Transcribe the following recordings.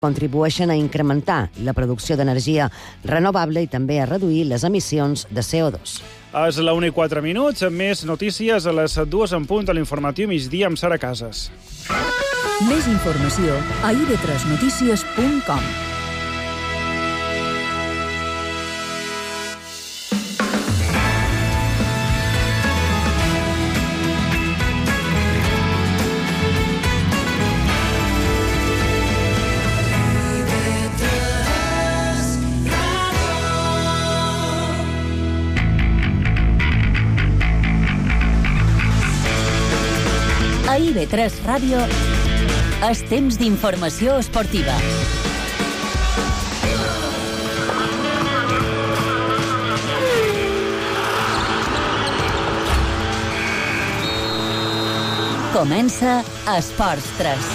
contribueixen a incrementar la producció d'energia renovable i també a reduir les emissions de CO2. És la 1:04, amb més notícies a les 2 en punt a l'informatiu migdia amb Sara Casas. Més informació a ib3notícies.com. A IB3 Ràdio és temps d'informació esportiva. Comença Esports 3.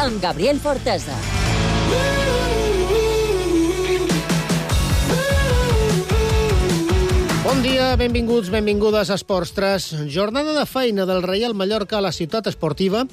Amb Gabriel Fortesa. Bon dia, benvinguts, benvingudes a Esports 3. Jornada de feina del Reial Mallorca a la ciutat esportiva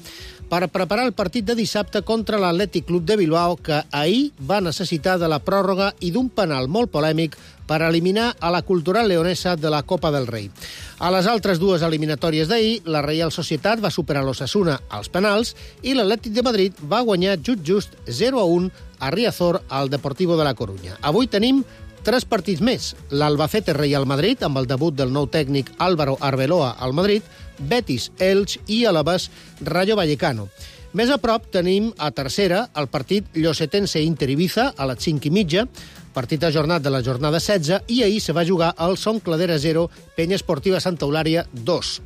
per preparar el partit de dissabte contra l'Atlètic Club de Bilbao, que ahir va necessitar de la pròrroga i d'un penal molt polèmic per eliminar a la Cultural Leonesa de la Copa del Rei. A les altres dues eliminatòries d'ahir, la Reial Societat va superar l'Osasuna als penals i l'Atlètic de Madrid va guanyar just 0-1 a Riazor al Deportivo de la Corunya. Avui tenim 3 partits més. L'Albacete Real Madrid, amb el debut del nou tècnic Álvaro Arbeloa al Madrid, Betis, Elx i Alavés Rayo Vallecano. Més a prop tenim a tercera el partit Llosetense Inter Ibiza a les 5:30, partit ajornat de la jornada 16, i ahir se va jugar el Son Cladera 0, Penya Esportiva Santa Eulària 2.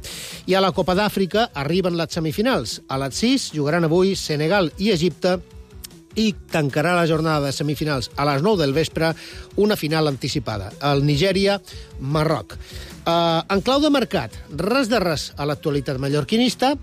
I a la Copa d'Àfrica arriben les semifinals. A les 6 jugaran avui Senegal i Egipte, i tancarà la jornada de semifinals a les 9 del vespre una final anticipada, el Nigèria-Marroc. En clau de mercat, res de res a l'actualitat mallorquinista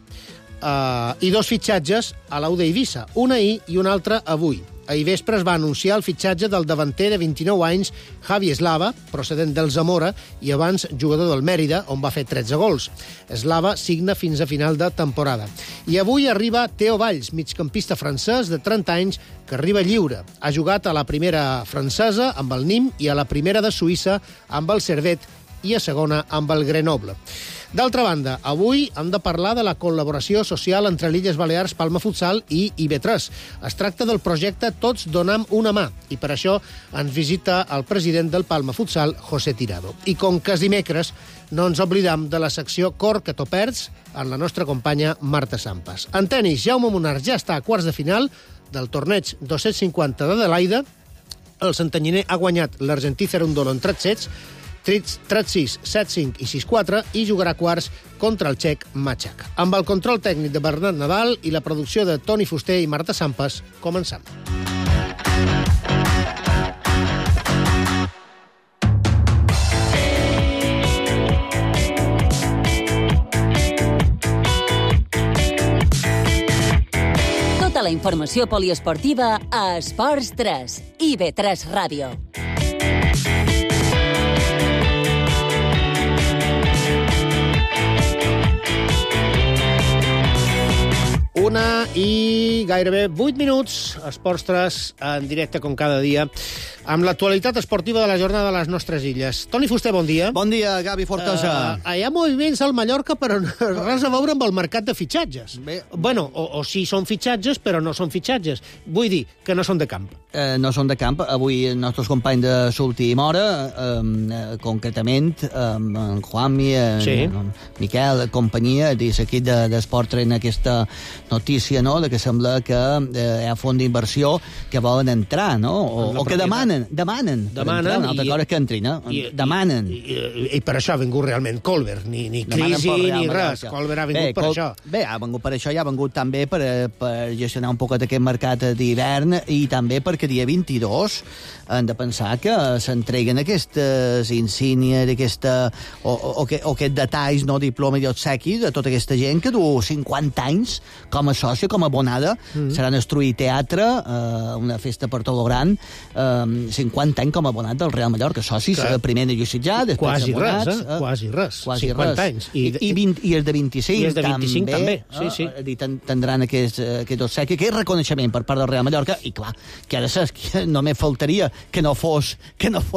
i 2 fitxatges a l'U d'Eivissa, un ahir i un altre avui. Ahir vespre es va anunciar el fitxatge del davanter de 29 anys, Javi Eslava, procedent del Zamora i abans jugador del Mèrida, on va fer 13 gols. Eslava signa fins a final de temporada. I avui arriba Theo Valls, migcampista francès de 30 anys, que arriba lliure. Ha jugat a la primera francesa amb el Nîmes i a la primera de Suïssa amb el Servette i a segona amb el Grenoble. D'altra banda, avui hem de parlar de la col·laboració social entre l'Illes Balears, Palma Futsal i IB3. Es tracta del projecte Tots donem una mà, i per això ens visita el president del Palma Futsal, José Tirado. I com que és dimecres, no ens oblidam de la secció Cor que t'ho perds amb la nostra companya Marta Sampas. En tenis, Jaume Munar ja està a quarts de final del torneig 250 d'Adelaida. El santanyiner ha guanyat l'argentí Cerundolo en 3 sets, 3-6, 7-5 i 6-4, i jugarà quarts contra el txec Machak. Amb el control tècnic de Bernat Nadal i la producció de Toni Fuster i Marta Sampas, començam. Tota la informació poliesportiva a Esports 3, IB3 Ràdio. Una i gairebé 8 minuts, Esports 3, en directe com cada dia, amb l'actualitat esportiva de la jornada de les nostres illes. Toni Fuster, bon dia. Bon dia, Gavi Fortesa. Hi ha moviments al Mallorca, però res a veure amb el mercat de fitxatges. Bé. Bueno, o sí són fitxatges, però no són fitxatges. Vull dir que no són de camp. No són de camp. Avui els nostres companys de l'última hora, concretament, en Juanmi, en Miquel, companyia, dins l'equip d'Esport 3 en aquesta notícia, no?, de que sembla que hi ha fons d'inversió que volen entrar, no?, o que demanen. Una altra cosa és que entrin, demanen. I per això ha vingut realment Colbert, ni crisi ni res. Colbert ha vingut per això. Bé, ha vingut per això i ha vingut també per gestionar un poquet aquest mercat d'hivern, i també perquè dia 22 han de pensar que s'entreguen aquestes insígnies, o aquests detalls, no, diploma i obsequi de tota aquesta gent que du 50 anys com com a sòcia, com a abonada, seran instruir teatre, una festa per tot lo gran, 50 anys com a abonat del Real Mallorca, socis, primer de Llucitjà, després quasi abonats. Quasi res, 50 anys. I els de 25, I els de 25 també. Sí. Tindran aquest obsequi, aquest reconeixement per part del Real Mallorca, i clar, que ara saps que només faltaria que no fos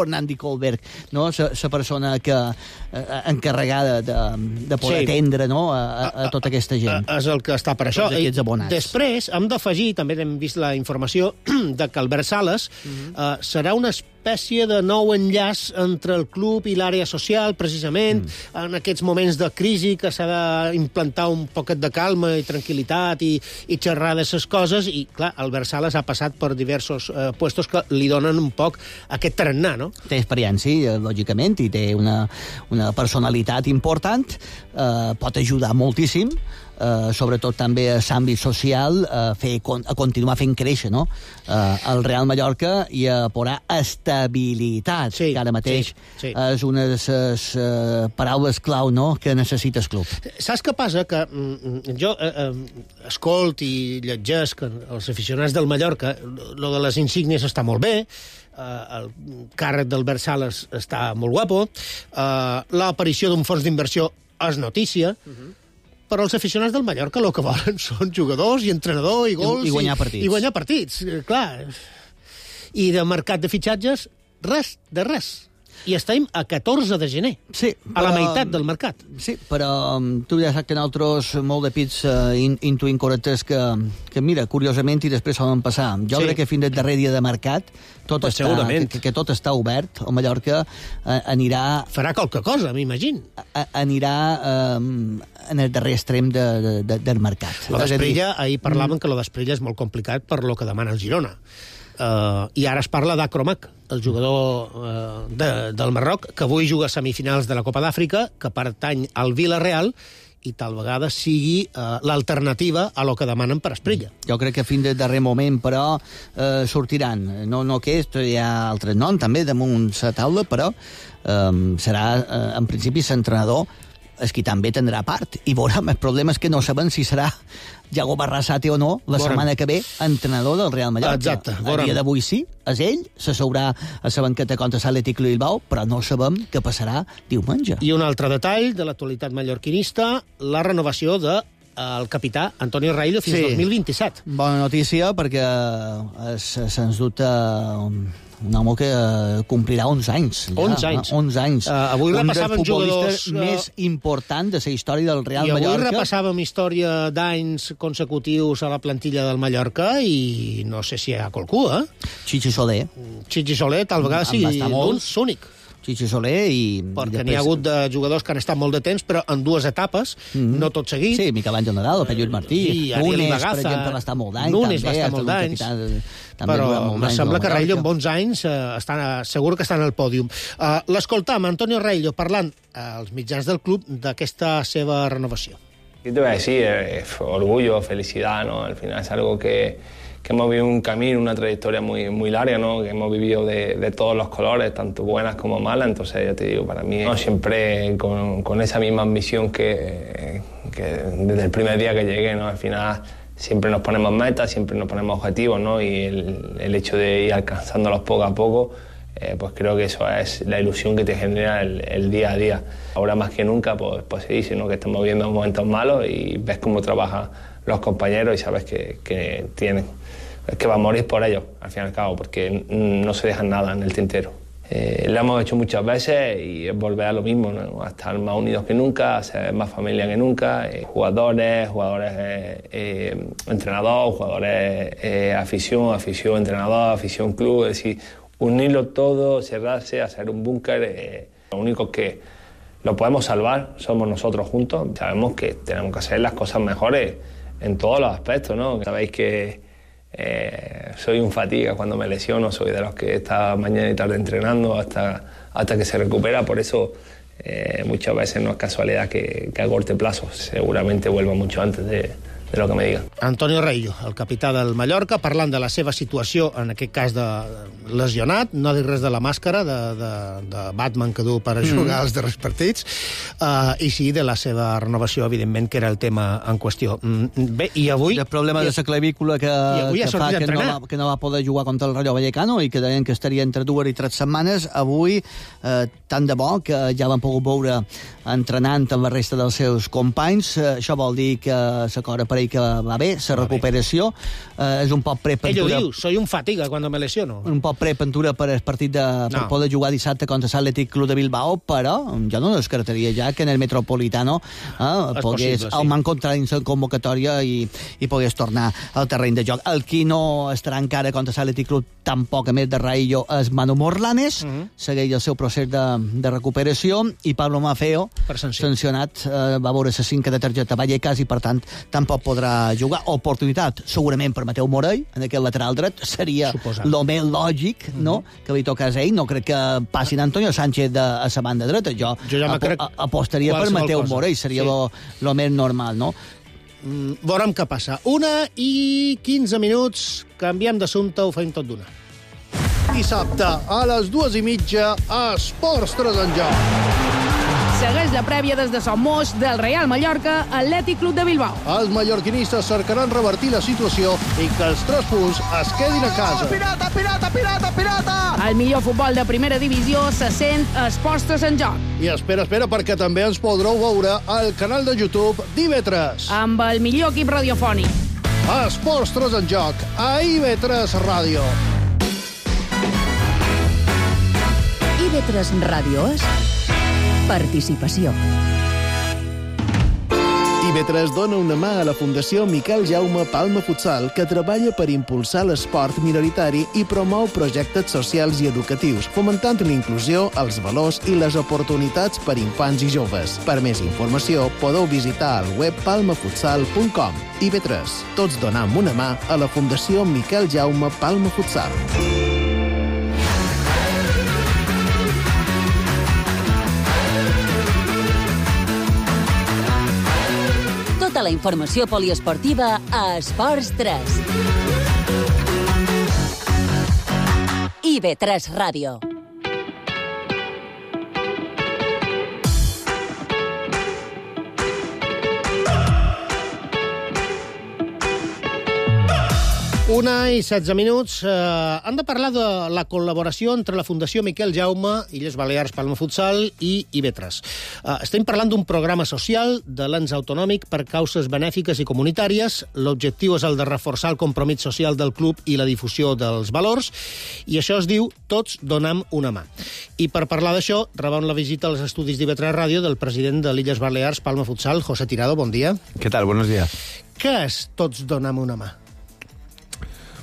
Nandi Kohlberg, no? La persona encarregada de poder atendre, no? a tota aquesta gent. És el que està per això. Després hem d'afegir, també hem vist la informació de que Albert Sales serà una espècie de nou enllaç entre el club i l'àrea social, precisament, en aquests moments de crisi que s'ha d'implantar un poquet de calma i tranquil·litat i xerrar d'aquestes coses, i clar, Albert Sales ha passat per diversos puestos que li donen un poc aquest tarannà, no? Té experiència, lògicament, i té una personalitat important, pot ajudar moltíssim, sobretot també a l'àmbit social, a continuar fent créixer, no? El Real Mallorca i a posar estabilitat, que ara mateix és una de les paraules clau, no?, que necessita el club. Saps què passa? Que jo escolt i llegesc els aficionats del Mallorca, lo de les insígnies està molt bé, el càrrec d'Albert Sales està molt guapo, l'aparició d'un fons d'inversió és notícia, però els aficionats del Mallorca el que volen són jugadors i entrenador i gols i guanyar partits. I guanyar partits, clar. I de mercat de fitxatges, res de res. I estem a 14 de gener, a la meitat del mercat. Sí, però tu ja saps que nosaltres molt de pits intuïm correctes que mira, curiosament, i després solen passar. Jo crec que fins al darrer dia de mercat que tot està obert. El Mallorca anirà... Farà qualque cosa, m'imagino. Anirà en el darrer extrem del mercat. Lo d'Esprilla, ahir parlaven que lo d'Esprilla és molt complicat per lo que demana el Girona. I ara es parla d'Acromac, el jugador del Marroc, que avui juga a semifinals de la Copa d'Àfrica, que pertany al Villarreal, i tal vegada sigui l'alternativa a lo que demanen per Esprilla. Jo crec que fins al darrer moment, però, sortiran. No que hi ha altres noms, també, damunt la taula, però serà, en principi, l'entrenador és qui també tindrà part. I veurem, el problema és que no sabem si serà Yago Barrasate o no, la setmana que ve, entrenador del Real Mallorca. Exacte. A dia d'avui sí, és ell, se sabrà a la banqueta contra l'Atlètic Bilbao, però no sabem què passarà diumenge. I un altre detall de l'actualitat mallorquinista, la renovació del capità Antonio Raillo fins 2027. Bona notícia, perquè sens dubte un home que complirà 11 anys. 11 anys. Avui repassàvem jugadors més important de la història del Real Mallorca. I avui repassàvem història d'anys consecutius a la plantilla del Mallorca i no sé si hi ha qualcú, Chichi Soler. Chichi Soler, tal vegada sí, únic. Chichi Soler i... Perquè n'hi ha hagut de jugadors que han estat molt de temps, però en dues etapes, no tot seguit. Sí, Miquel Àngel Nadal, el Lluís Martí. Núñez, per exemple, va estar molt d'anys. Núñez va estar molt d'anys. Però em sembla que Raillo amb 11 anys segur que està en el pòdium. L'escoltam, Antonio Raillo, parlant als mitjans del club d'aquesta seva renovació. ¿Qué te voy a decir? Orgullo, felicidad, ¿no? Al final es algo que hemos vivido un camino, una trayectoria muy larga, ¿no? Que hemos vivido de todos los colores, tanto buenas como malas. Entonces, ya te digo, para mí, ¿no? Siempre con esa misma ambición que desde el primer día que llegué, ¿no? Al final siempre nos ponemos metas, siempre nos ponemos objetivos, ¿no? Y el hecho de ir alcanzándolos poco a poco, pues creo que eso es la ilusión que te genera el día a día. Ahora más que nunca, pues se dice, ¿no? Que estamos viviendo momentos malos y ves cómo trabajan los compañeros y sabes que tienen... Es que va a morir por ellos, al fin y al cabo, porque no se dejan nada en el tintero. Lo hemos hecho muchas veces y es volver a lo mismo, ¿no? A estar más unidos que nunca, a ser más familia que nunca. Jugadores, entrenador, jugadores, afición, entrenador, afición, club. Es decir, unirlo todo, cerrarse, hacer un búnker. Lo único que lo podemos salvar somos nosotros juntos. Sabemos que tenemos que hacer las cosas mejores en todos los aspectos, ¿no? Sabéis que soy un fatiga cuando me lesiono, soy de los que está mañana y tarde entrenando hasta que se recupera, por eso muchas veces no es casualidad que a corto plazo, seguramente vuelva mucho antes de de lo que me digan. Antonio Reillo, el capità del Mallorca, parlant de la seva situació, en aquest cas de lesionat, no dic res de la màscara de Batman que du per jugar als darrers partits, i sí de la seva renovació, evidentment, que era el tema en qüestió. Bé, i avui... El problema de la clavícula que fa que no va poder jugar contra el Rayo Vallecano i que deien que estaria entre 2 i 3 setmanes, avui, tant de bo que ja l'han pogut veure entrenant amb la resta dels seus companys. Això vol dir que la cosa per ell que va bé, la recuperació. És un poc prepentura... Ell ho diu, soy un fatiga cuando me lesiono. Un poc prepentura per el partit per poder jugar dissabte contra l'Atlètic Club de Bilbao, però jo no descartaria ja que en el Metropolitano pogués encontrar la convocatòria i pogués tornar al terreny de joc. El qui no estarà encara contra l'Atlètic Club, tampoc a més de Raillo, és Manu Morlanes, segueix el seu procés de recuperació, i Pablo Maffeo, sancionat, va veure la 5 de targeta Vallecas i, per tant, tampoc podrà jugar. Oportunitat, segurament, per Mateu Morell, en aquest lateral dret, seria el més lògic, no?, que li tocés a ell. No crec que passin Antonio Sánchez a la banda dreta. Jo apostaria per Mateu Morell, seria el més normal, no? Veurem què passa. 1:15, canviem d'assumpte, ho feim tot d'una. Dissabte, a les 2:30, Esports 3 en joc. Segueix la prèvia des de Son Moix del Real Mallorca, Atlètic Club de Bilbao. Els mallorquinistes cercaran revertir la situació i que els 3 punts es quedin a casa. Pirata, pirata, pirata, pirata! El millor futbol de primera divisió se sent a Esports 3 en joc. I espera, perquè també ens podreu veure al canal de YouTube d'IV3. Amb el millor equip radiofònic. Esports 3 en joc, a IV3 Ràdio. IV3 Ràdio és participació. IV3 dona una mà a la Fundació Miquel Jaume Palma Futsal, que treballa per impulsar l'esport minoritari i promou projectes socials i educatius, fomentant la inclusió, els valors i les oportunitats per infants i joves. Per més informació, podeu visitar el web palmafutsal.com. IV3. Tots donam una mà a la Fundació Miquel Jaume Palma Futsal. Tota la informació poliesportiva a Esports 3. IV3 Ràdio. Una i 16 minuts. Han de parlar de la col·laboració entre la Fundació Miquel Jaume, Illes Balears Palma Futsal i IV3. Estem parlant d'un programa social de l'ens autonòmic per causes benèfiques i comunitàries. L'objectiu és el de reforçar el compromís social del club i la difusió dels valors, i això es diu Tots donam una mà. I per parlar d'això, rebem la visita als estudis d'IV3 Ràdio del president de l'Illes Balears Palma Futsal, José Tirado. Bon dia. ¿Qué tal? Buenos días. ¿Qué es Tots donam una mà?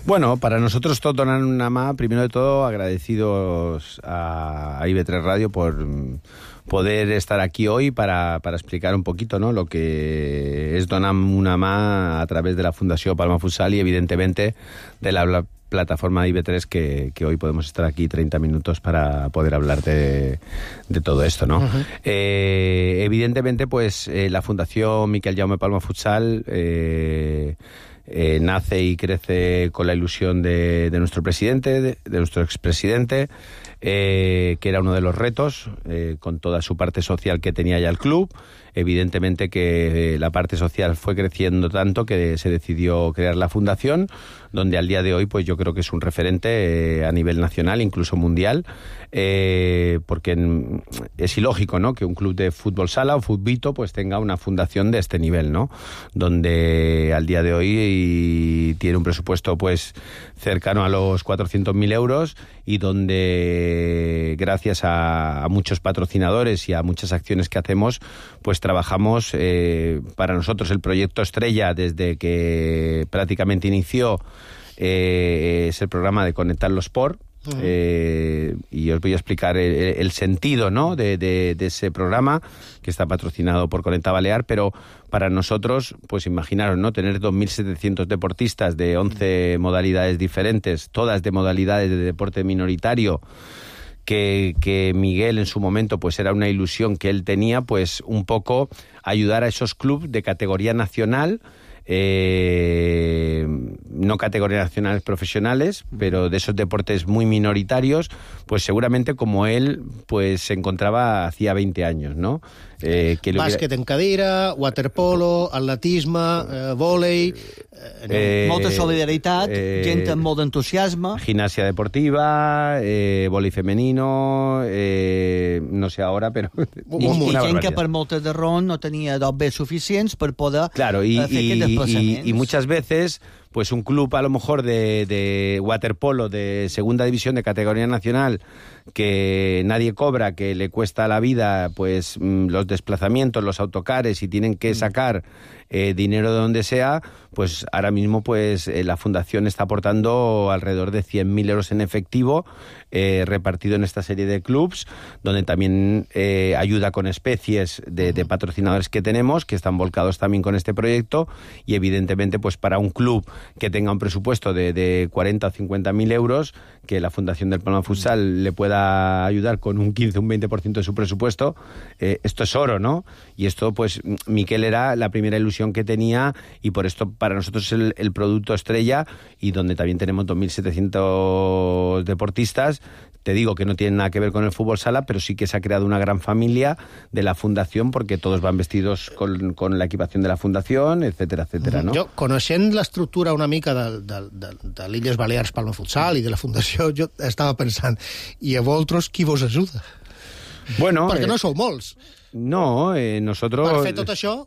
Bueno, para nosotros Tots donan una mano. Primero de todo, agradecidos a IV3 Radio por poder estar aquí hoy para explicar un poquito, ¿no?, lo que es donar una mano a través de la Fundación Palma Futsal y, evidentemente, de la plataforma de IV3 que hoy podemos estar aquí 30 minutos para poder hablar de todo esto, ¿no? Uh-huh. Evidentemente, pues la Fundación Miquel Jaume Palma Futsal nace y crece con la ilusión de nuestro presidente, de nuestro expresidente, que era uno de los retos, con toda su parte social que tenía ya el club. Evidentemente que la parte social fue creciendo tanto que se decidió crear la fundación, donde al día de hoy pues yo creo que es un referente a nivel nacional, incluso mundial, porque es ilógico, ¿no?, que un club de fútbol sala o futbito pues tenga una fundación de este nivel, ¿no?, donde al día de hoy tiene un presupuesto pues cercano a los 400.000 euros y donde gracias a muchos patrocinadores y a muchas acciones que hacemos pues trabajamos. Para nosotros el proyecto estrella desde que prácticamente inició es el programa de Conectar los Sport. Y os voy a explicar el sentido, ¿no?, de ese programa que está patrocinado por Conecta Balear, pero para nosotros, pues imaginaros, ¿no?, tener 2.700 deportistas de 11 modalidades diferentes, todas de modalidades de deporte minoritario, que Miguel en su momento pues era una ilusión que él tenía, pues un poco ayudar a esos clubes de categoría nacional no categorías nacionales profesionales, pero de esos deportes muy minoritarios, pues seguramente como él pues se encontraba hacía 20 años, ¿no? Bàsquet en cadira, waterpolo, atletisme, vòlei... molta solidaritat, gent amb molt d'entusiasme. Gimnasia deportiva, vòlei femenino, no sé ahora, però... I gent que per moltes de raons no tenia dobbes suficients per poder fer aquest desplaçament. Y muchas veces, pues un club a lo mejor de waterpolo de segunda división de categoría nacional que nadie cobra, que le cuesta la vida pues los desplazamientos, los autocares y tienen que sacar dinero de donde sea, pues ahora mismo pues la fundación está aportando alrededor de 100.000 euros en efectivo repartido en esta serie de clubs, donde también ayuda con especies de patrocinadores que tenemos, que están volcados también con este proyecto, y evidentemente pues para un club que tenga un presupuesto de 40 o 50.000 euros, que la Fundación del Palma Futsal le pueda ayudar con un 15 o un 20% de su presupuesto, esto es oro, ¿no? Y esto pues Miquel era la primera ilusión que tenía, y por esto para nosotros es el producto estrella, y donde también tenemos 2.700 deportistas. Te digo que no tienen nada que ver con el fútbol sala, pero sí que se ha creado una gran familia de la fundación, porque todos van vestidos con la equipación de la fundación, etcétera, etcétera, ¿no? Jo, coneixent l'estructura una mica de l'Illes Balears Palma Futsal i de la fundació, jo estava pensant, i a vosaltres qui vos ajuda? Bueno, perquè no sou molts. No, nosotros... Per fer tot això...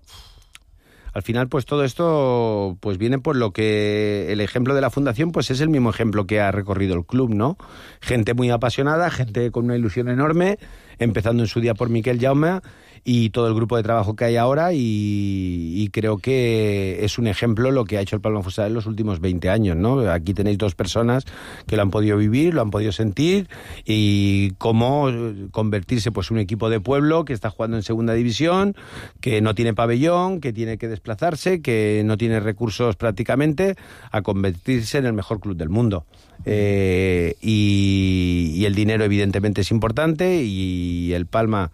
Al final, pues todo esto pues viene por lo que el ejemplo de la fundación pues es el mismo ejemplo que ha recorrido el club, ¿no? Gente muy apasionada, gente con una ilusión enorme, empezando en su día por Miquel Jaume y todo el grupo de trabajo que hay ahora, y creo que es un ejemplo lo que ha hecho el Palma Futsal en los últimos 20 años, ¿no? Aquí tenéis dos personas que lo han podido vivir, lo han podido sentir, y cómo convertirse pues un equipo de pueblo que está jugando en segunda división, que no tiene pabellón, que tiene que desplazarse, que no tiene recursos prácticamente, a convertirse en el mejor club del mundo. Y el dinero evidentemente es importante, y el Palma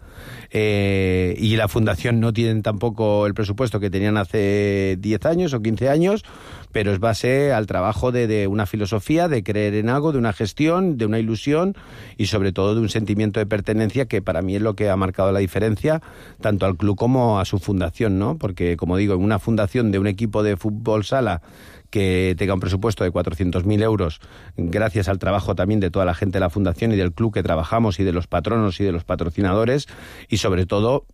y la fundación no tienen tampoco el presupuesto que tenían hace 10 años o 15 años, pero es base al trabajo de una filosofía, de creer en algo, de una gestión, de una ilusión, y sobre todo de un sentimiento de pertenencia, que para mí es lo que ha marcado la diferencia tanto al club como a su fundación, ¿no? Porque, como digo, en una fundación de un equipo de fútbol sala que tenga un presupuesto de 400.000 euros, gracias al trabajo también de toda la gente de la fundación y del club que trabajamos, y de los patronos y de los patrocinadores, y sobre todo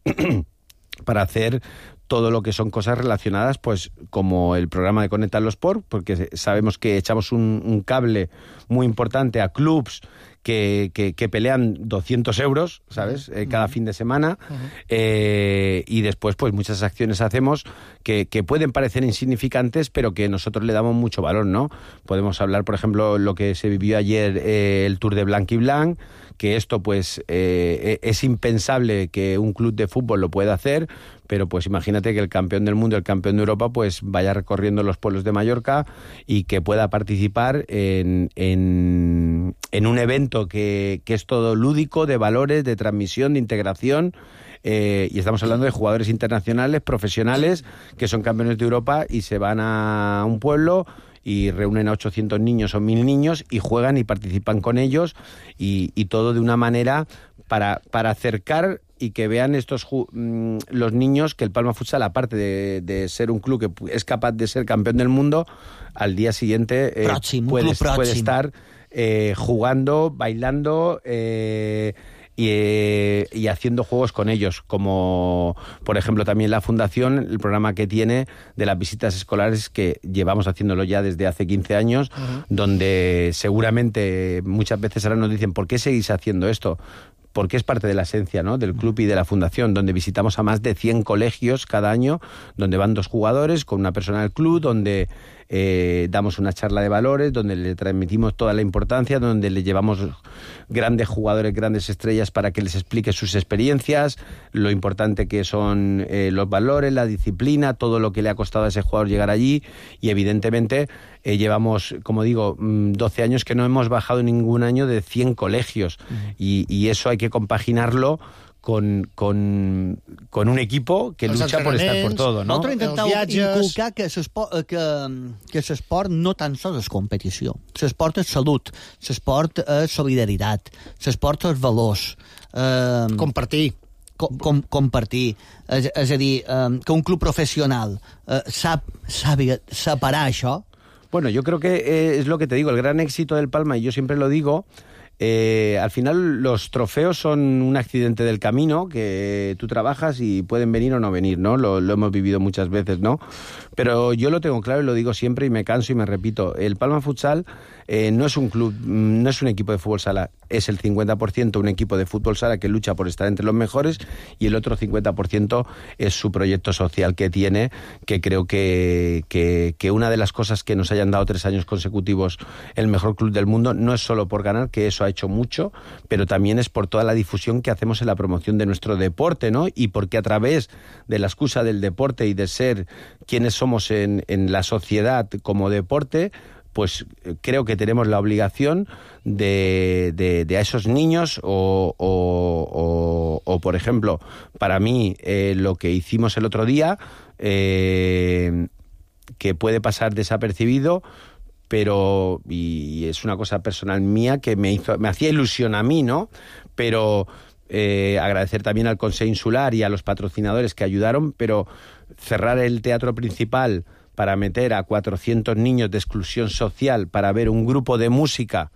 para hacer todo lo que son cosas relacionadas, pues como el programa de Conectar los Sport, porque sabemos que echamos un cable muy importante a clubs que pelean 200 euros, ¿sabes? Cada fin de semana. Y después, pues muchas acciones hacemos que pueden parecer insignificantes, pero que nosotros le damos mucho valor, ¿no? Podemos hablar, por ejemplo, lo que se vivió ayer, el Tour de Blanc y Blanc, que esto, pues, es impensable que un club de fútbol lo pueda hacer, pero pues imagínate que el campeón del mundo, el campeón de Europa, pues vaya recorriendo los pueblos de Mallorca y que pueda participar en un evento que es todo lúdico, de valores, de transmisión, de integración. Y estamos hablando de jugadores internacionales, profesionales, que son campeones de Europa y se van a un pueblo y reúnen a 800 niños o 1.000 niños y juegan y participan con ellos, y todo de una manera para acercar y que vean los niños que el Palma Futsal, aparte de ser un club que es capaz de ser campeón del mundo, al día siguiente puede estar jugando, bailando y haciendo juegos con ellos, como por ejemplo también la fundación, el programa que tiene de las visitas escolares, que llevamos haciéndolo ya desde hace 15 años, donde seguramente muchas veces ahora nos dicen, ¿por qué seguís haciendo esto? Porque es parte de la esencia, ¿no?, del club y de la fundación, donde visitamos a más de 100 colegios cada año, donde van 2 jugadores con una persona del club, donde damos una charla de valores, donde le transmitimos toda la importancia, donde le llevamos grandes jugadores, grandes estrellas, para que les explique sus experiencias, lo importante que son los valores, la disciplina, todo lo que le ha costado a ese jugador llegar allí. Y evidentemente llevamos, como digo, 12 años que no hemos bajado ningún año de 100 colegios, y eso hay que compaginarlo con un equipo que lucha por estar por todo, no? Nosaltres intenteu inculcar que l'esport no tan sols és competició. L'esport és salut, l'esport és solidaritat, l'esport és valors. Compartir. Compartir. És a dir, que un club professional sàpiga separar això. Bueno, yo creo que es lo que te digo, el gran éxito del Palma, y yo siempre lo digo, al final los trofeos son un accidente del camino que tú trabajas y pueden venir o no venir, ¿no? Lo hemos vivido muchas veces, ¿no? Pero yo lo tengo claro y lo digo siempre y me canso y me repito. El Palma Futsal no es un club, no es un equipo de fútbol sala, es el 50% un equipo de fútbol sala que lucha por estar entre los mejores y el otro 50% es su proyecto social que tiene, que creo que una de las cosas que nos hayan dado 3 años consecutivos el mejor club del mundo no es solo por ganar, que eso ha hecho mucho, pero también es por toda la difusión que hacemos en la promoción de nuestro deporte, ¿no? Y porque a través de la excusa del deporte y de ser quienes somos en la sociedad como deporte, pues creo que tenemos la obligación de a esos niños o por ejemplo, para mí, lo que hicimos el otro día, que puede pasar desapercibido, pero, y es una cosa personal mía que me hacía ilusión a mí, ¿no? Pero agradecer también al Consejo Insular y a los patrocinadores que ayudaron, pero cerrar el teatro principal para meter a 400 niños de exclusión social para ver un grupo de música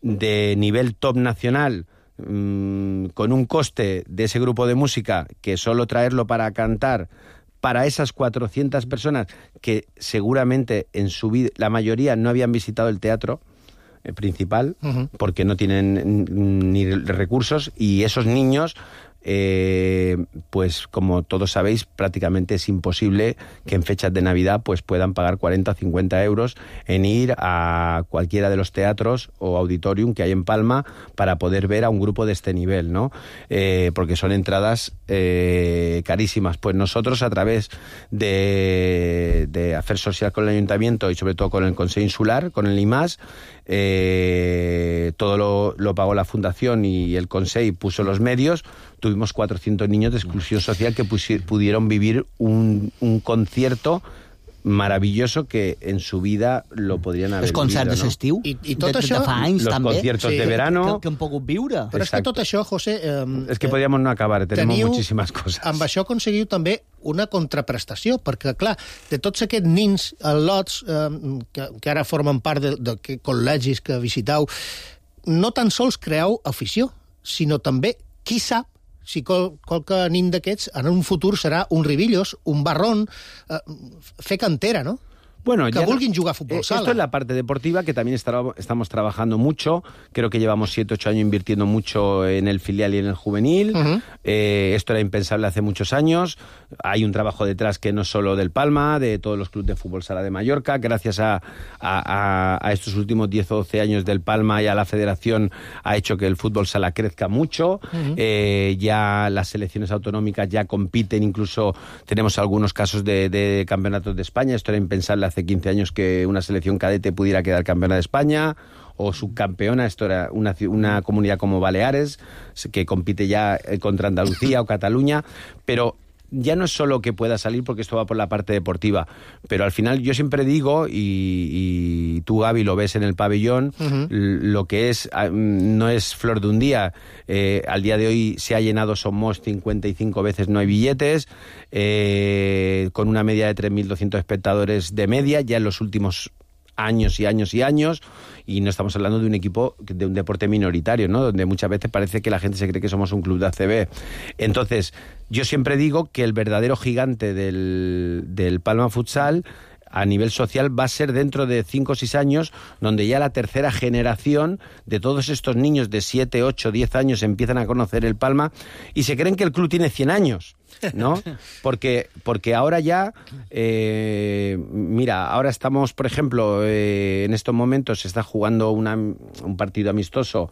de nivel top nacional, con un coste de ese grupo de música que solo traerlo para cantar para esas 400 personas que seguramente en su vida, la mayoría no habían visitado el teatro principal, porque no tienen ni recursos, y esos niños, pues como todos sabéis, prácticamente es imposible que en fechas de Navidad pues puedan pagar 40 o 50 euros en ir a cualquiera de los teatros o auditorium que hay en Palma para poder ver a un grupo de este nivel, ¿no? Porque son entradas carísimas. Pues nosotros, a través de hacer social con el Ayuntamiento y sobre todo con el Consejo Insular, con el IMAS, todo lo pagó la Fundación y el Consejo puso los medios. Tuvimos 400 niños de exclusión social que pudieron vivir un concierto maravilloso que en su vida lo podrien haver vivido. Els concerts d'estiu, I tot això... de fa anys, los també. conciertos de verano. Que han pogut viure. Però és que tot això, José... és que podríamos no acabar, tenemos muchísimas cosas. Amb això aconseguiu també una contraprestació, perquè, clar, de tots aquests nins lots que ara formen part de col·legis que visiteu, no tan sols creeu afició, sinó també, qui sap, si qualque nin d'aquests en un futur serà un Ribillos, un Barrón, fer cantera, no? Bueno, que vulguin jugar a fútbol sala. Esto es la parte deportiva, que también estamos trabajando mucho. Creo que llevamos 7 o 8 años invirtiendo mucho en el filial y en el juvenil. Esto era impensable hace muchos años. Hay un trabajo detrás que no es solo del Palma, de todos los clubes de fútbol sala de Mallorca. Gracias a estos últimos 10 o 12 años del Palma y a la federación ha hecho que el fútbol sala crezca mucho. Ya las selecciones autonómicas ya compiten, incluso tenemos algunos casos de campeonatos de España. Esto era impensable hace 15 años que una selección cadete pudiera quedar campeona de España o subcampeona. Esto era una comunidad como Baleares, que compite ya contra Andalucía o Cataluña, pero ya no es solo que pueda salir, porque esto va por la parte deportiva, pero al final yo siempre digo, y tú, Gaby, lo ves en el pabellón, lo que es no es flor de un día. Al día de hoy se ha llenado Somos 55 veces, no hay billetes, con una media de 3.200 espectadores de media, ya en los últimos años y años y años, y no estamos hablando de un equipo, de un deporte minoritario, ¿no? Donde muchas veces parece que la gente se cree que somos un club de ACB. Entonces, yo siempre digo que el verdadero gigante del Palma Futsal a nivel social va a ser dentro de 5 o 6 años, donde ya la tercera generación de todos estos niños de 7, 8, 10 años empiezan a conocer el Palma y se creen que el club tiene 100 años. ¿No? Porque ahora ya, mira, ahora estamos, por ejemplo, en estos momentos se está jugando un partido amistoso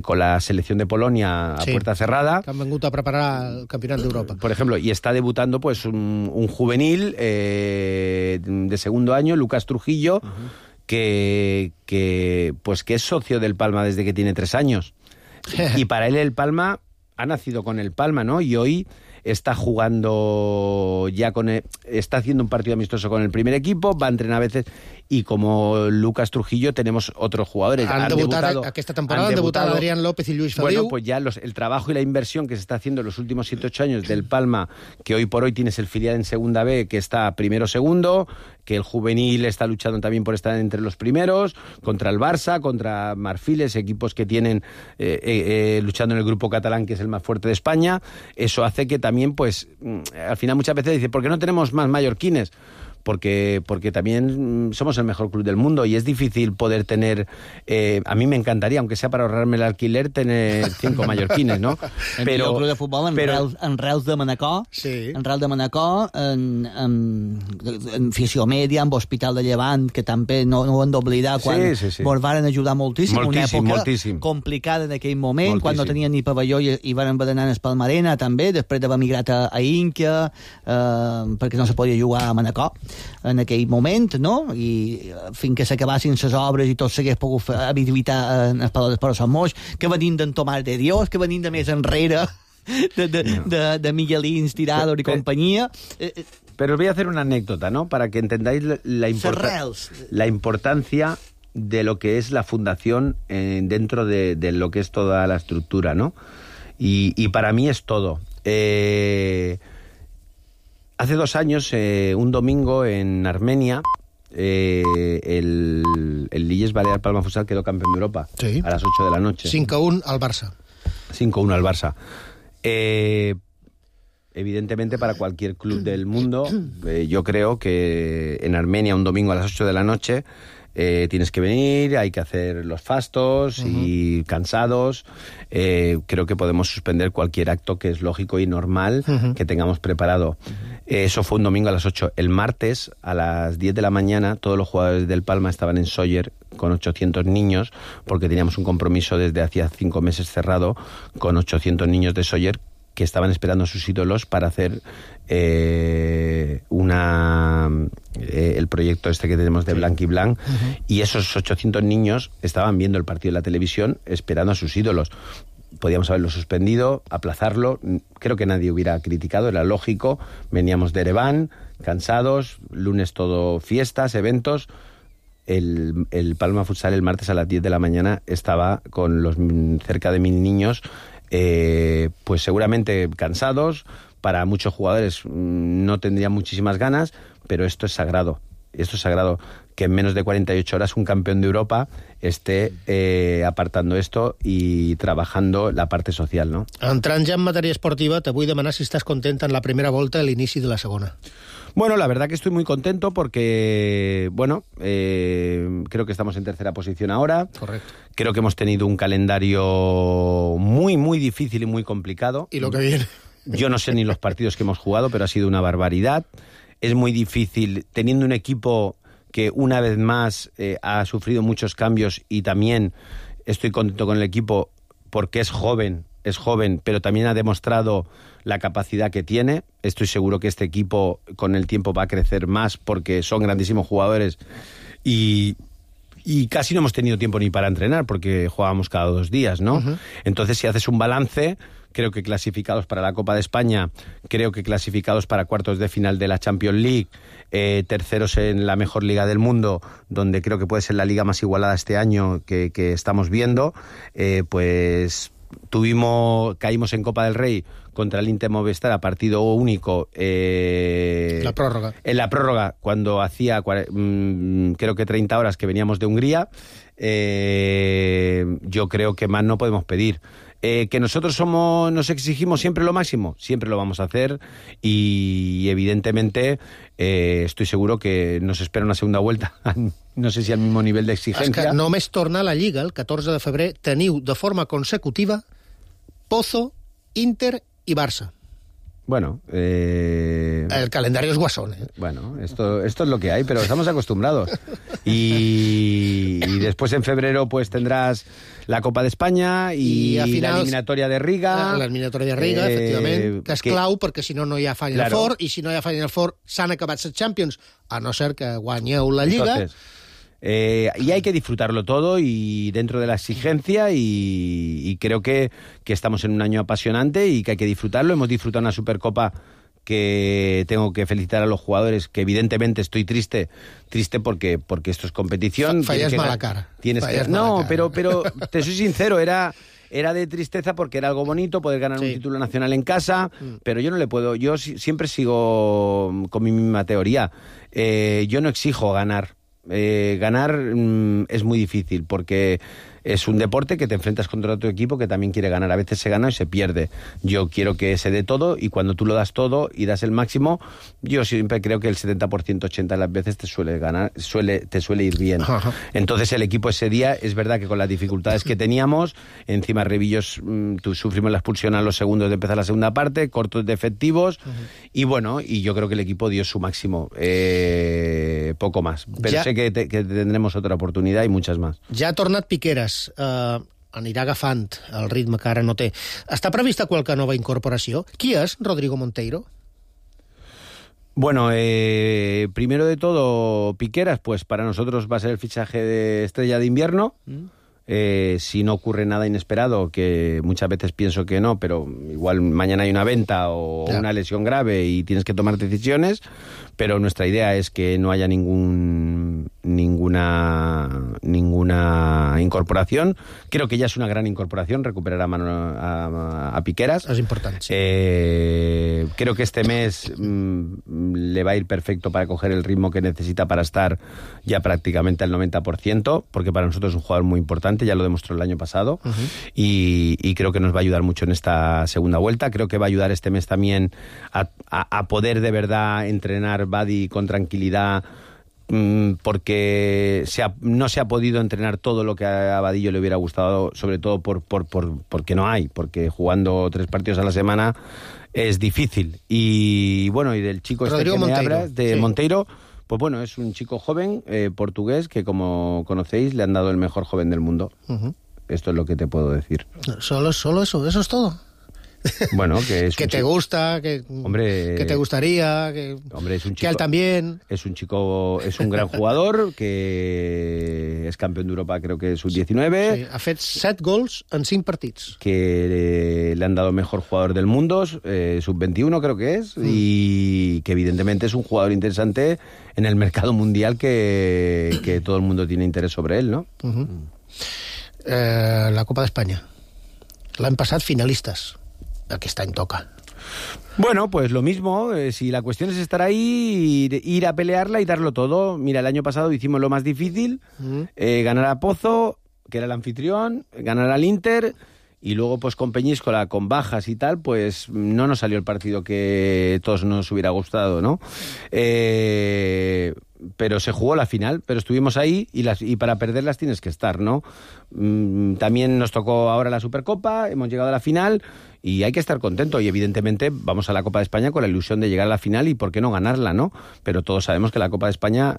con la selección de Polonia a puerta cerrada. Que han vengut a preparar el Campionat d'Europa. Por ejemplo, y está debutando pues un juvenil de segundo año, Lucas Trujillo, que es socio del Palma desde que tiene 3 años. Y para él el Palma ha nacido con el Palma, ¿no? Y hoy está jugando ya está haciendo un partido amistoso con el primer equipo, va a entrenar a veces, y como Lucas Trujillo tenemos otros jugadores. Han debutado esta temporada, han debutado Adrián López y Luis Feliu. Bueno, pues ya el trabajo y la inversión que se está haciendo en los últimos 7-8 años del Palma, que hoy por hoy tienes el filial en Segunda B, que está primero segundo, que el juvenil está luchando también por estar entre los primeros, contra el Barça, contra Marfiles, equipos que tienen luchando en el grupo catalán, que es el más fuerte de España. Eso hace que también, pues, al final muchas veces dice, ¿por qué no tenemos más mallorquines? Porque también somos el mejor club del mundo y es difícil poder tener... a mí me encantaría, aunque sea para ahorrarme el alquiler, tener 5 mallorquines, ¿no? Però el club de futbol en Reus de Manacor, sí. En Reus de Manacor, en Fissió Mèdia, en Hospital de Llevant, que també no ho hem d'oblidar, quan ens varen ajudar moltíssim, una època complicada en aquell moment, quan no tenien ni pavelló i van haver d'anar a Espalmarena també, després d'haver migrat a Ínquia, perquè no se podia jugar a Manacor en aquell moment, no? I fins que s'acabassin les obres i tot s'hagués pogut habilitar en els Palau d'Esports Sant Moix, que venim d'en Tomàs de Dios, que venim de més enrere, de Miguelín, Tirador y compañía. Pero os voy a hacer una anécdota, ¿no? Para que entendáis la importancia de lo que es la fundación dentro de lo que es toda la estructura, ¿no? Y para mí es todo. Hace 2 años, un domingo en Armenia, el Lilles Balear Palma Futsal quedó campeón de Europa a las 8 de la noche. 5-1 al Barça. 5-1 al Barça. Evidentemente, para cualquier club del mundo, yo creo que en Armenia un domingo a las 8 de la noche tienes que venir, hay que hacer los fastos y cansados. Creo que podemos suspender cualquier acto que es lógico y normal que tengamos preparado. Eso fue un domingo a las 8. El martes a las 10 de la mañana todos los jugadores del Palma estaban en Sóller con 800 niños, porque teníamos un compromiso desde hacía 5 meses cerrado con 800 niños de Sóller que estaban esperando a sus ídolos para hacer el proyecto este que tenemos de Blanc y Blanc, y esos 800 niños estaban viendo el partido en la televisión esperando a sus ídolos. Podíamos haberlo suspendido, aplazarlo, creo que nadie hubiera criticado, era lógico. Veníamos de Ereván, cansados, lunes todo fiestas, eventos. El Palma Futsal el martes a las 10 de la mañana estaba con los cerca de 1000 niños, pues seguramente cansados. Para muchos jugadores no tendrían muchísimas ganas, pero esto es sagrado. Esto es sagrado, que en menos de 48 horas un campeón de Europa esté apartando esto y trabajando la parte social, ¿no? Entrant ja en matèria esportiva, te vull demanar si estàs content en la primera volta a l'inici de la segona. Bueno, la verdad que estoy muy contento porque, bueno, creo que estamos en tercera posición ahora. Correcto. Creo que hemos tenido un calendario muy, muy difícil y muy complicado. Y lo que viene. Yo no sé ni los partidos que hemos jugado, pero ha sido una barbaridad. Es muy difícil, teniendo un equipo que una vez más ha sufrido muchos cambios, y también estoy contento con el equipo porque es joven, pero también ha demostrado la capacidad que tiene. Estoy seguro que este equipo con el tiempo va a crecer más porque son grandísimos jugadores y casi no hemos tenido tiempo ni para entrenar porque jugábamos cada 2 días, ¿no? Entonces, si haces un balance, creo que clasificados para la Copa de España, creo que clasificados para cuartos de final de la Champions League, terceros en la mejor liga del mundo, donde creo que puede ser la liga más igualada este año que estamos viendo, pues caímos en Copa del Rey contra el Inter Movistar a partido único. La prórroga. En la prórroga, cuando hacía creo que 30 horas que veníamos de Hungría. Yo creo que más no podemos pedir. Que nosotros nos exigimos siempre lo máximo, siempre lo vamos a hacer, y evidentemente estoy seguro que nos espera una segunda vuelta, no sé si al mismo nivel de exigencia. És que només torna a la Lliga el 14 de febrer, teniu de forma consecutiva Pozo, Inter y Barça. Bueno, el calendario es guasón, ¿eh? Bueno, esto es lo que hay, pero estamos acostumbrados. Y después en febrero pues tendrás la Copa de España y la eliminatoria de Riga. La eliminatoria de Riga, efectivament, que és clau, perquè si no hi ha Final Four, i si no hi ha Final Four s'han acabat les Champions, a no ser que guanyeu la Lliga. Entonces, Y hay que disfrutarlo todo y dentro de la exigencia y creo que estamos en un año apasionante y que hay que disfrutarlo. Hemos disfrutado una Supercopa que tengo que felicitar a los jugadores, que evidentemente estoy triste porque esto es competición. Fallas mala cara. Pero te soy sincero, era de tristeza porque era algo bonito poder ganar un título nacional en casa, pero yo no le puedo, yo siempre sigo con mi misma teoría. Yo no exijo ganar. Ganar es muy difícil porque es un deporte que te enfrentas contra otro equipo que también quiere ganar. A veces se gana y se pierde. Yo quiero que se dé todo y cuando tú lo das todo y das el máximo, yo siempre creo que el 70%, 80% de las veces te suele ir bien. Ajá. Entonces el equipo ese día, es verdad que con las dificultades que teníamos, encima Revillos, sufrimos la expulsión a los segundos de empezar la segunda parte, cortos de efectivos, y bueno, y yo creo que el equipo dio su máximo, poco más. Pero sé que tendremos otra oportunidad y muchas más. Ja ha tornat Piqueras, anirà agafant el ritme que ara no té. Està prevista qualque nova incorporació? Qui és Rodrigo Monteiro? Bueno, primero de todo, Piqueras, pues para nosotros va a ser el fichaje de estrella de invierno. Si no ocurre nada inesperado, que muchas veces pienso que no, pero igual mañana hay una venta o una lesión grave y tienes que tomar decisiones, pero nuestra idea es que no haya ninguna incorporación. Creo que ya es una gran incorporación recuperar a Piqueras. Es importante. Sí. Creo que este mes le va a ir perfecto para coger el ritmo que necesita para estar ya prácticamente al 90%, porque para nosotros es un jugador muy importante, ya lo demostró el año pasado, y creo que nos va a ayudar mucho en esta segunda vuelta. Creo que va a ayudar este mes también a poder de verdad entrenar Badi con tranquilidad, porque no se ha podido entrenar todo lo que a Vadillo le hubiera gustado, sobre todo porque no hay, porque jugando 3 partidos a la semana es difícil. Y bueno, y del chico Rodrigo este que Monteiro, me hablas, de Monteiro, pues bueno, es un chico joven, portugués, que como conocéis le han dado el mejor joven del mundo. Esto es lo que te puedo decir. Solo eso es todo. Bueno, que es que te gusta, que te gustaría, que es un chico, que él también. Es un chico, es un gran jugador, que es campeón de Europa, creo que sub-19. Sí, ha fet 7 gols en 5 partits. Que le han dado mejor jugador del mundo, sub-21 creo que es, y que evidentemente es un jugador interesante en el mercado mundial, que todo el mundo tiene interés sobre él, ¿no? La Copa d'Espanya. L'any passat finalistes. Aquest any toca. Bueno, pues lo mismo, si la cuestión es estar ahí, ir a pelearla y darlo todo. Mira, el año pasado hicimos lo más difícil, ganar a Pozo, que era el anfitrión, ganar al Inter, y luego pues con Peñíscola, con bajas y tal, pues no nos salió el partido que todos nos hubiera gustado, ¿no? Pero se jugó la final, pero estuvimos ahí y para perderlas tienes que estar, ¿no? También nos tocó ahora la Supercopa, hemos llegado a la final y hay que estar contento, y evidentemente vamos a la Copa de España con la ilusión de llegar a la final y por qué no ganarla, ¿no? Pero todos sabemos que la Copa de España,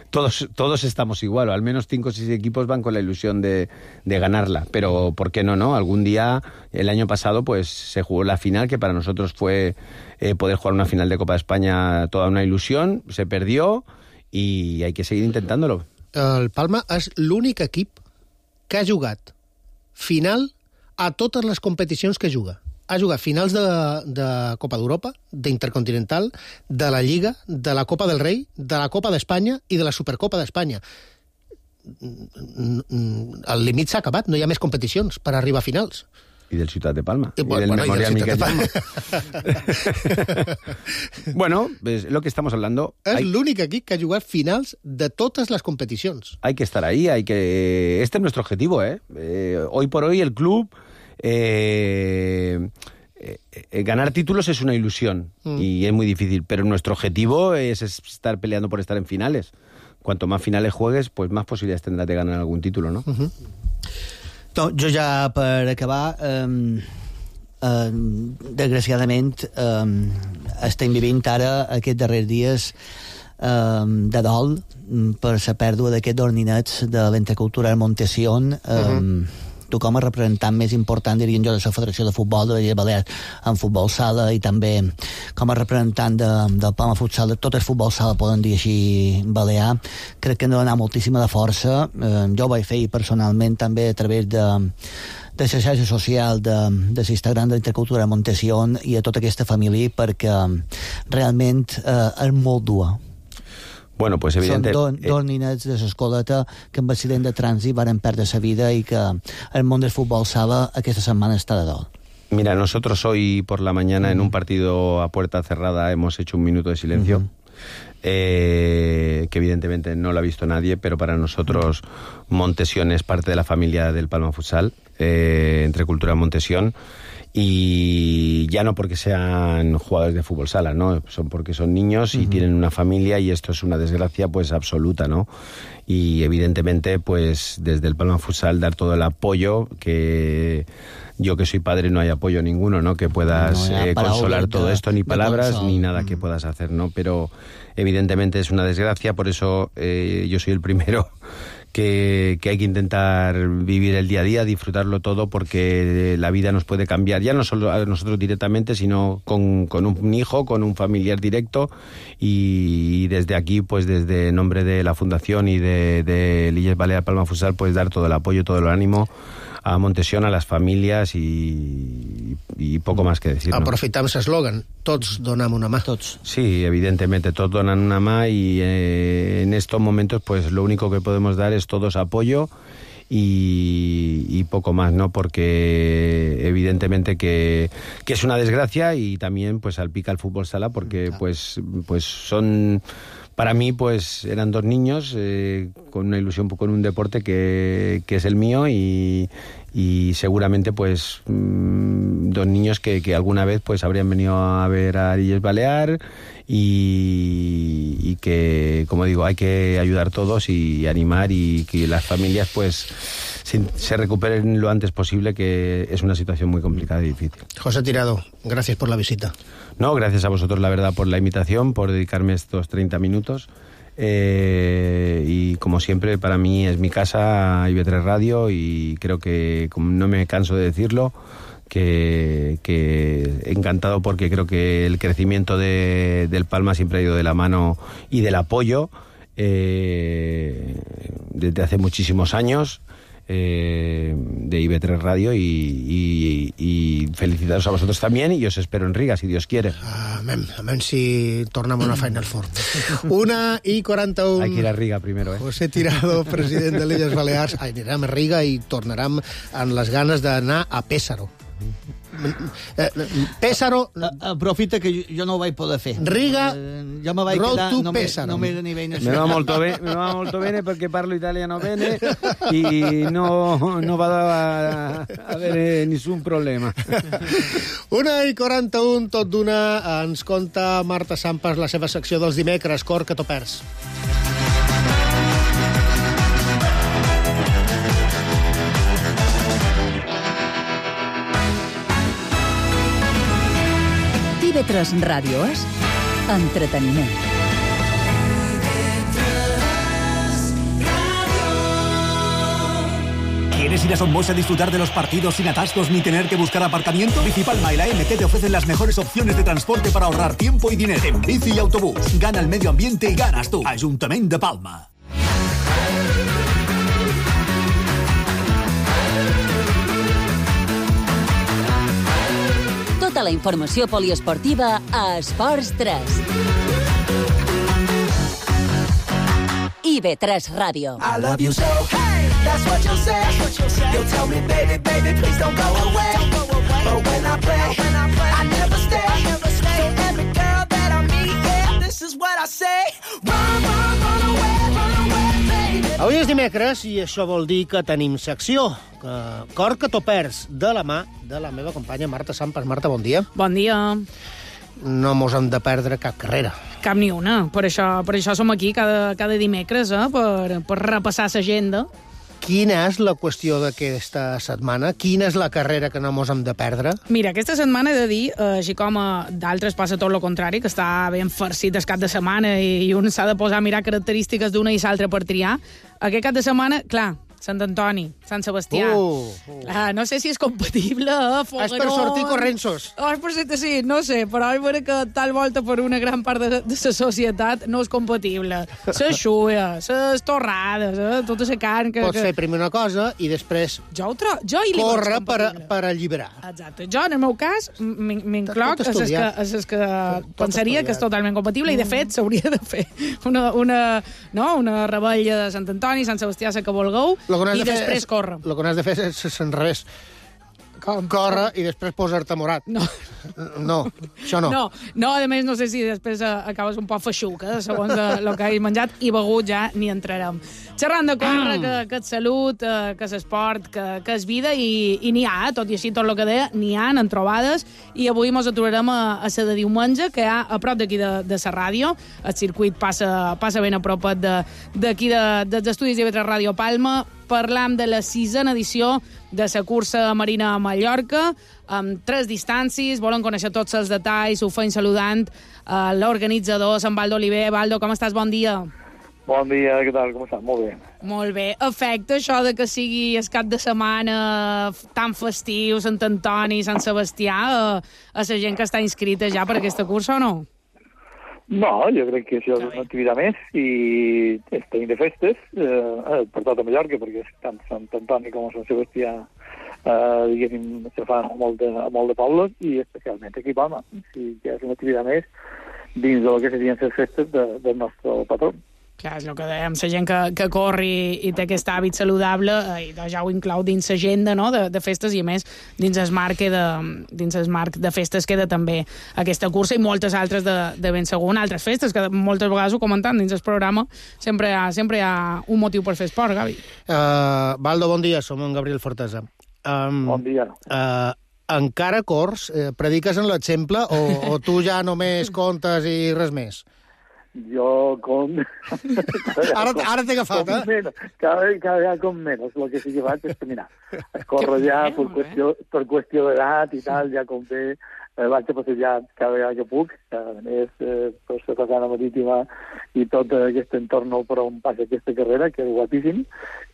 todos estamos igual, o al menos 5 o 6 equipos van con la ilusión de ganarla, pero ¿por qué no, no? Algún día, el año pasado, pues se jugó la final, que para nosotros fue poder jugar una final de Copa de España, toda una ilusión, se perdió y hay que seguir intentándolo. El Palma és l'únic equip que ha jugat final a totes les competicions que juga. Ha jugat finals de Copa d'Europa, d'Intercontinental, de la Lliga, de la Copa del Rei, de la Copa d'Espanya i de la Supercopa d'Espanya. El límit s'ha acabat, no hi ha més competicions per arribar a finals. Y del Ciutat de Palma. Y del Memorial Miquel Palma. Bueno, es lo que estamos hablando. És l'únic equip que ha jugat finals de totes les competicions. Hay que estar ahí, este es nuestro objetivo, ¿eh? Hoy por hoy el club... ganar títulos es una ilusión y es muy difícil, pero nuestro objetivo es estar peleando por estar en finales. Cuanto más finales juegues, pues más posibilidades tendrás de ganar algún título, ¿no? No, jo ja, per acabar, desgraciadament, estem vivint ara aquests darrers dies de dol per la pèrdua d'aquests orninets de l'Entre Cultural Montesión, tu com a representant més important, dirien jo, de la Federació de Futbol de les Illes Balears en futbol sala i també com a representant del Palma Futsal, de tot el futbol sala, poden dir així, balear, crec que hem de donar moltíssima de força. Jo ho vaig fer personalment també a través de la xarxa social de l'Instagram de l'Intercultura de Montesión i a tota aquesta família, perquè realment és molt dura. Bueno, pues evidente... Són dos ninets de l'escoleta que amb accident de trànsit van perdre la vida i que el món del futbol sala aquesta setmana està de dol. Mira, nosotros hoy por la mañana en un partido a puerta cerrada hemos hecho un minuto de silencio, que evidentemente no lo ha visto nadie, pero para nosotros Montesión es parte de la familia del Palma Futsal, entre Cultura Montesión, y ya no porque sean jugadores de fútbol sala, ¿no? Son porque son niños y tienen una familia, y esto es una desgracia pues absoluta, ¿no? Y evidentemente pues desde el Palma Futsal dar todo el apoyo, que yo que soy padre no hay apoyo ninguno, ¿no? Que puedas consolar todo esto, ni palabras ni nada que puedas hacer, ¿no? Pero evidentemente es una desgracia, por eso yo soy el primero que hay que intentar vivir el día a día, disfrutarlo todo, porque la vida nos puede cambiar, ya no solo a nosotros directamente, sino con un hijo, con un familiar directo, y desde aquí, pues desde nombre de la Fundación y de Illes Balears Palma Futsal, pues dar todo el apoyo, todo el ánimo a Montesión, a las familias y poco más que decir, ¿no? Aprofitam l'eslògan, tots donem una mà. Tots. Sí, evidentemente, todos donan una mano, y en estos momentos pues lo único que podemos dar es todos apoyo y poco más, ¿no? Porque evidentemente que es una desgracia, y también pues salpica el fútbol sala, porque pues son... Para mí, pues, eran dos niños con una ilusión, con un deporte que es el mío, y seguramente, pues, dos niños que alguna vez, pues, habrían venido a ver a Illes Balears, y que, como digo, hay que ayudar todos y animar, y que las familias, pues, se recuperen lo antes posible, que es una situación muy complicada y difícil. José Tirado, gracias por la visita. No, gracias a vosotros, la verdad, por la invitación, por dedicarme estos 30 minutos. Y como siempre, para mí es mi casa, IB3 Radio, y creo que, como no me canso de decirlo, que encantado, porque creo que el crecimiento del Palma siempre ha ido de la mano y del apoyo desde hace muchísimos años. De IB3 Radio, y felicitaros a vosotros también, y os espero en Riga, si Dios quiere. Amén si tornem a una Final Four. 1:41. Hay que ir a Riga primero, José Tirado, president de l'Illes Balears. Anirem a Riga i tornarem amb les ganes d'anar a Pésaro. Pésaro... Aprofita que jo no ho vaig poder fer. Riga, jo me vaig road quedar to Pésaro. només a nivell Me va molto bene perché parlo italiano bene y no va a haver nessun problema. 1:41, tot d'una, ens conta Marta Sampas la seva secció dels dimecres, Cor que t'ho perds. IB3 Ràdio és entreteniment. ¿Quieres ir a Somos a disfrutar de los partidos sin atascos ni tener que buscar aparcamiento? Bicipalma y la MT te ofrecen las mejores opciones de transporte para ahorrar tiempo y dinero. En bici y autobús, gana el medio ambiente y ganas tú. Ayuntamiento de Palma. Tota la informació poliesportiva a Esports 3. IB3 Ràdio. I love you so, hey, that's what you'll say. You'll tell me, baby, please don't go away. But when I play, I never stay. So every girl that I meet, yeah, this is what I say. Run away, baby. Avui és dimecres i això vol dir que tenim secció. Cor que t'ho perds, de la mà de la meva companya Marta Sampas. Marta, bon dia. Bon dia. No mos hem de perdre cap carrera. Cap ni una. Per això som aquí cada dimecres, per repassar l'agenda. Quina és la qüestió d'aquesta setmana? Quina és la carrera que no mos hem de perdre? Mira, aquesta setmana he de dir, així com a d'altres passa tot el contrari, que està ben farcit el cap de setmana i un s'ha de posar a mirar característiques d'una i l'altra per triar. Aquest cap de setmana, clar, Sant Antoni, Sant Sebastià. No sé si és compatible, Fogaró... És per sortir correnços. És per ser, sí, no sé, però és vera que tal volta per una gran part de la societat no és compatible. La xuia, les torrades, tota la carn... Pots fer primer una cosa i després córrer per alliberar. Exacte. Jo, en el meu cas, m'incloc a les que pensaria que és totalment compatible i, de fet, s'hauria de fer una rebella de Sant Antoni, Sant Sebastià, la que vulgueu, i després córrer. El que no has de fer és l'enrevés. Córrer i després posar-te morat. No, això no. No, a més, no sé si després acabes un poc feixuca, segons el que hagis menjat, i begut ja n'hi entrarem. Xerrant de córrer, que és salut, que és esport, que és vida, i n'hi ha, tot i així, tot el que deia, n'hi ha, en trobades, i avui ens aturarem a la de diumenge, que hi ha a prop d'aquí de la ràdio. El circuit passa ben a prop d'aquí dels estudis d'IV3 Ràdio Palma. Parlam de la 6a edició de la cursa marina a Mallorca, amb 3 distàncies. Volen conèixer tots els detalls. Ho feim saludant l'organitzador, en Baldo Oliver. Baldo, com estàs? Bon dia. Bon dia, què tal? Com estàs? Molt bé. Molt bé. Afecta això de que sigui el cap de setmana tan festiu, Sant Antoni, Sant Sebastià, a la gent que està inscrita ja per aquesta cursa o no? No, jo crec que això és una activitat més i estem de festes per tota Mallorca, perquè tant Sant Antoni com Sant Sebastià diguéssim, se fan molt de pobles i especialment aquí a Palma. Sí, que és una activitat més dins del que serien les festes del nostre patró. Clar, és el que dèiem, la gent que corri i té aquest hàbit saludable, i ja ho inclou dins l'agenda, no?, de festes, i a més dins el marc de festes queda també aquesta cursa i moltes altres de ben segur, altres festes, que moltes vegades ho comentant dins el programa, sempre hi ha un motiu per fer esport, Gavi. Baldo, bon dia, som en Gabriel Fortesa. Bon dia. Encara corrs? Prediques en l'exemple o tu ja només comptes i res més? Jo com... Ara t'he agafat, Cada vegada com menys. El que sí que faig és caminar. Es corre ja per qüestió d'edat i tal, ja com bé. Vaig a passejar cada vegada que puc. A més, per la façana marítima i tot aquest entorn per on passa aquesta carrera, que és guapíssim.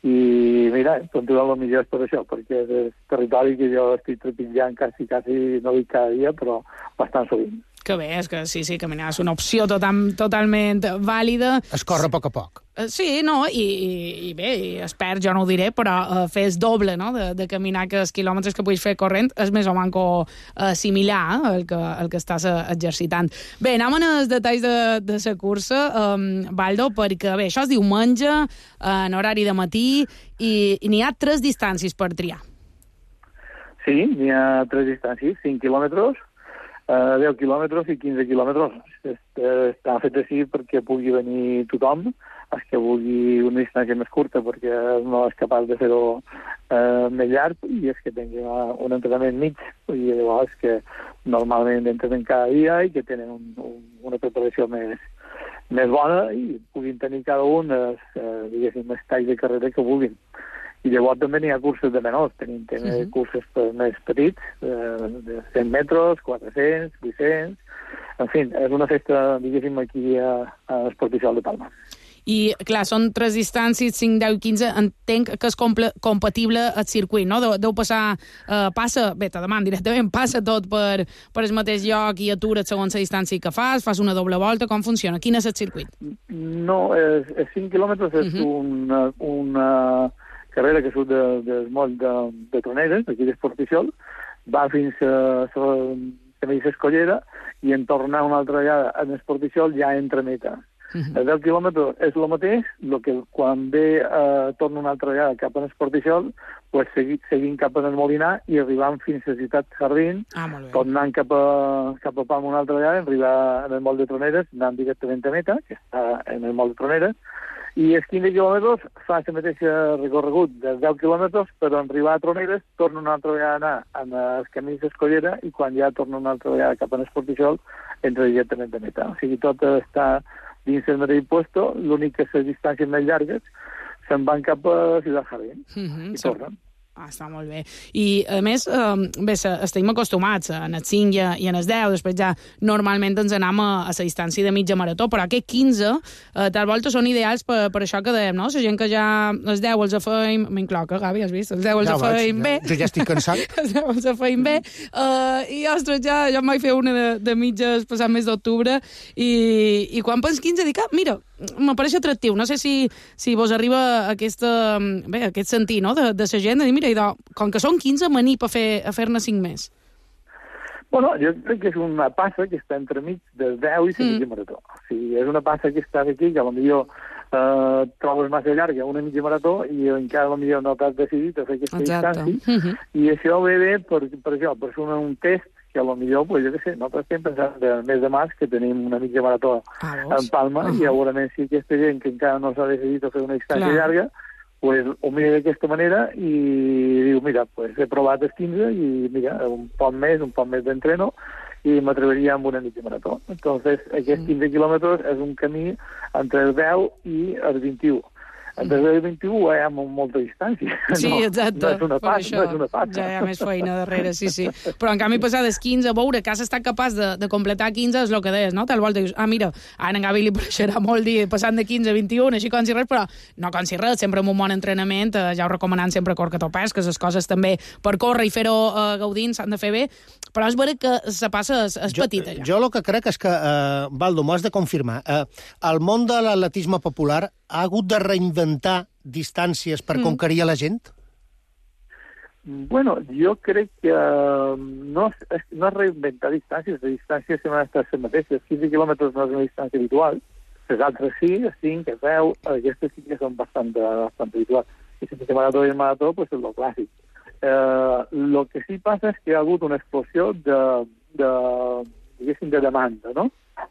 I mira, continuant el millor és per això, perquè és el territori que jo estic trepitjant quasi, no dic cada dia, però bastant sovint. Que bé, és que sí, caminar és una opció totalment vàlida. Es corre a poc a poc. Sí, no, i bé, espero, jo no ho diré, però fer el doble, no?, de caminar que els quilòmetres que puguis fer corrent és més o manco similar el que estàs exercitant. Bé, anem als detalls de la cursa, Baldo, perquè bé, això és diumenge, en horari de matí, i n'hi ha 3 distàncies per triar. Sí, n'hi ha 3 distàncies, 5 quilòmetres, 10 quilòmetres i 15 quilòmetres. Està fet així perquè pugui venir tothom, els que vulgui una distància més curta perquè no és capaç de fer-ho més llarg i és que tingui un entrenament mig, i llavors que normalment entrenen cada dia i que tenen una preparació més bona i puguin tenir cada un diguéssim, els talls de carrera que vulguin. I llavors també n'hi ha curses de menors, tenim curses més petits, de 100 metres, 400, 800... En fi, és una festa, diguéssim, aquí a l'Esporticial de Palma. I, clar, són 3 distàncies, 5, 10 i 15, entenc que és compatible el circuit, no? Deu passar, bé, te deman directament, passa tot per el mateix lloc i atura't segons la distància que fas una doble volta, com funciona? Quin és el circuit? No, 5 quilòmetres és una carrera que surt del moll de Troneres, aquí d'Esporticiol, va fins a Camisa Escollera i en tornar una altra vegada a l'Esporticiol ja entra a meta. El 10 quilòmetres és el mateix, el que quan ve torna una altra vegada cap a l'Esporticiol, pues seguint cap a el Molinar i arribant fins a Ciutat Jardín, tornant cap a Palma una altra vegada, arribar en el moll de Troneres, anant directament a meta, que està en el moll de Troneres, i els 15 quilòmetres fa el mateix recorregut dels 10 quilòmetres, però en arribar a Troneres torna una altra vegada a anar als camins d'Escollera i quan ja torna una altra vegada cap a l'Esporticiol entra directament a meta. O sigui, tot està dins el mateix puesto, l'únic que les distàncies més llargues se'n van cap a Ciutat Jardín i tornen. Està molt bé. I, a més, bé, estem acostumats en el 5 i en el 10, després ja normalment ens anem a la distància de mitja marató, però aquest 15, tal volta, són ideals per això que dèiem, no? La gent que ja els 10 els feim... M'incloc, Gavi, has vist? Els 10 els feim bé. Jo ja estic cansat. Els 10 els feim bé. I, ostres, jo em vaig fer una de mitges passat mes d'octubre i quan pens 15 dic, mira, m'apareix atractiu. No sé si vos arriba aquest sentir, no?, de la gent, de dir, mira, com que són 15, m'anip a fer-ne 5 més. Bueno, jo crec que és una passa que està entremig del 10 i la mitja marató. O sigui, és una passa que està aquí, que potser trobes massa llarga una mitja marató i encara potser no t'has decidit a fer aquesta distància. I això ve bé per això, per fer un test que potser, pues, jo què sé, nosaltres estem pensant del mes de març que tenim una mitja marató en Palma i segurament si aquesta gent que encara no s'ha decidit a fer una distància llarga pues ho mira d'aquesta manera i diu, mira, pues he provat els 15 i mira, un poc més d'entreno i m'atreveria amb una mitja marató. Entonces, aquests 15 quilòmetres és un camí entre el 10 i el 21. Entre el 21 hi ha molta distància. Sí, exacte. No és una passa. Ja hi ha més feina darrere, sí. Però en canvi passar dels 15 a veure que has estat capaç de completar 15 és el que deies, no? Tal volta dius, mira, a en Gavi li pareixerà molt dir passant de 15 a 21, així com si res, però no com si res, sempre amb un bon entrenament, ja ho recomanant sempre cor que topes, que les coses també per córrer i fer-ho gaudint s'han de fer bé, però és vera que la passa és petita. Jo el que crec és que, Baldo, m'ho has de confirmar, el món de l'atletisme popular ha hagut de reinventar distàncies per conquerir a la gent? Bueno, jo crec que no és reinventar distàncies, les distàncies sempre han estat les mateixes. 15 quilòmetres no és una distància habitual, les altres sí, 5, 10, aquestes sí que són bastant habituals. I si el marató i el marató, pues és el clàssic. El que sí passa és que hi ha hagut una explosió de demanda, no?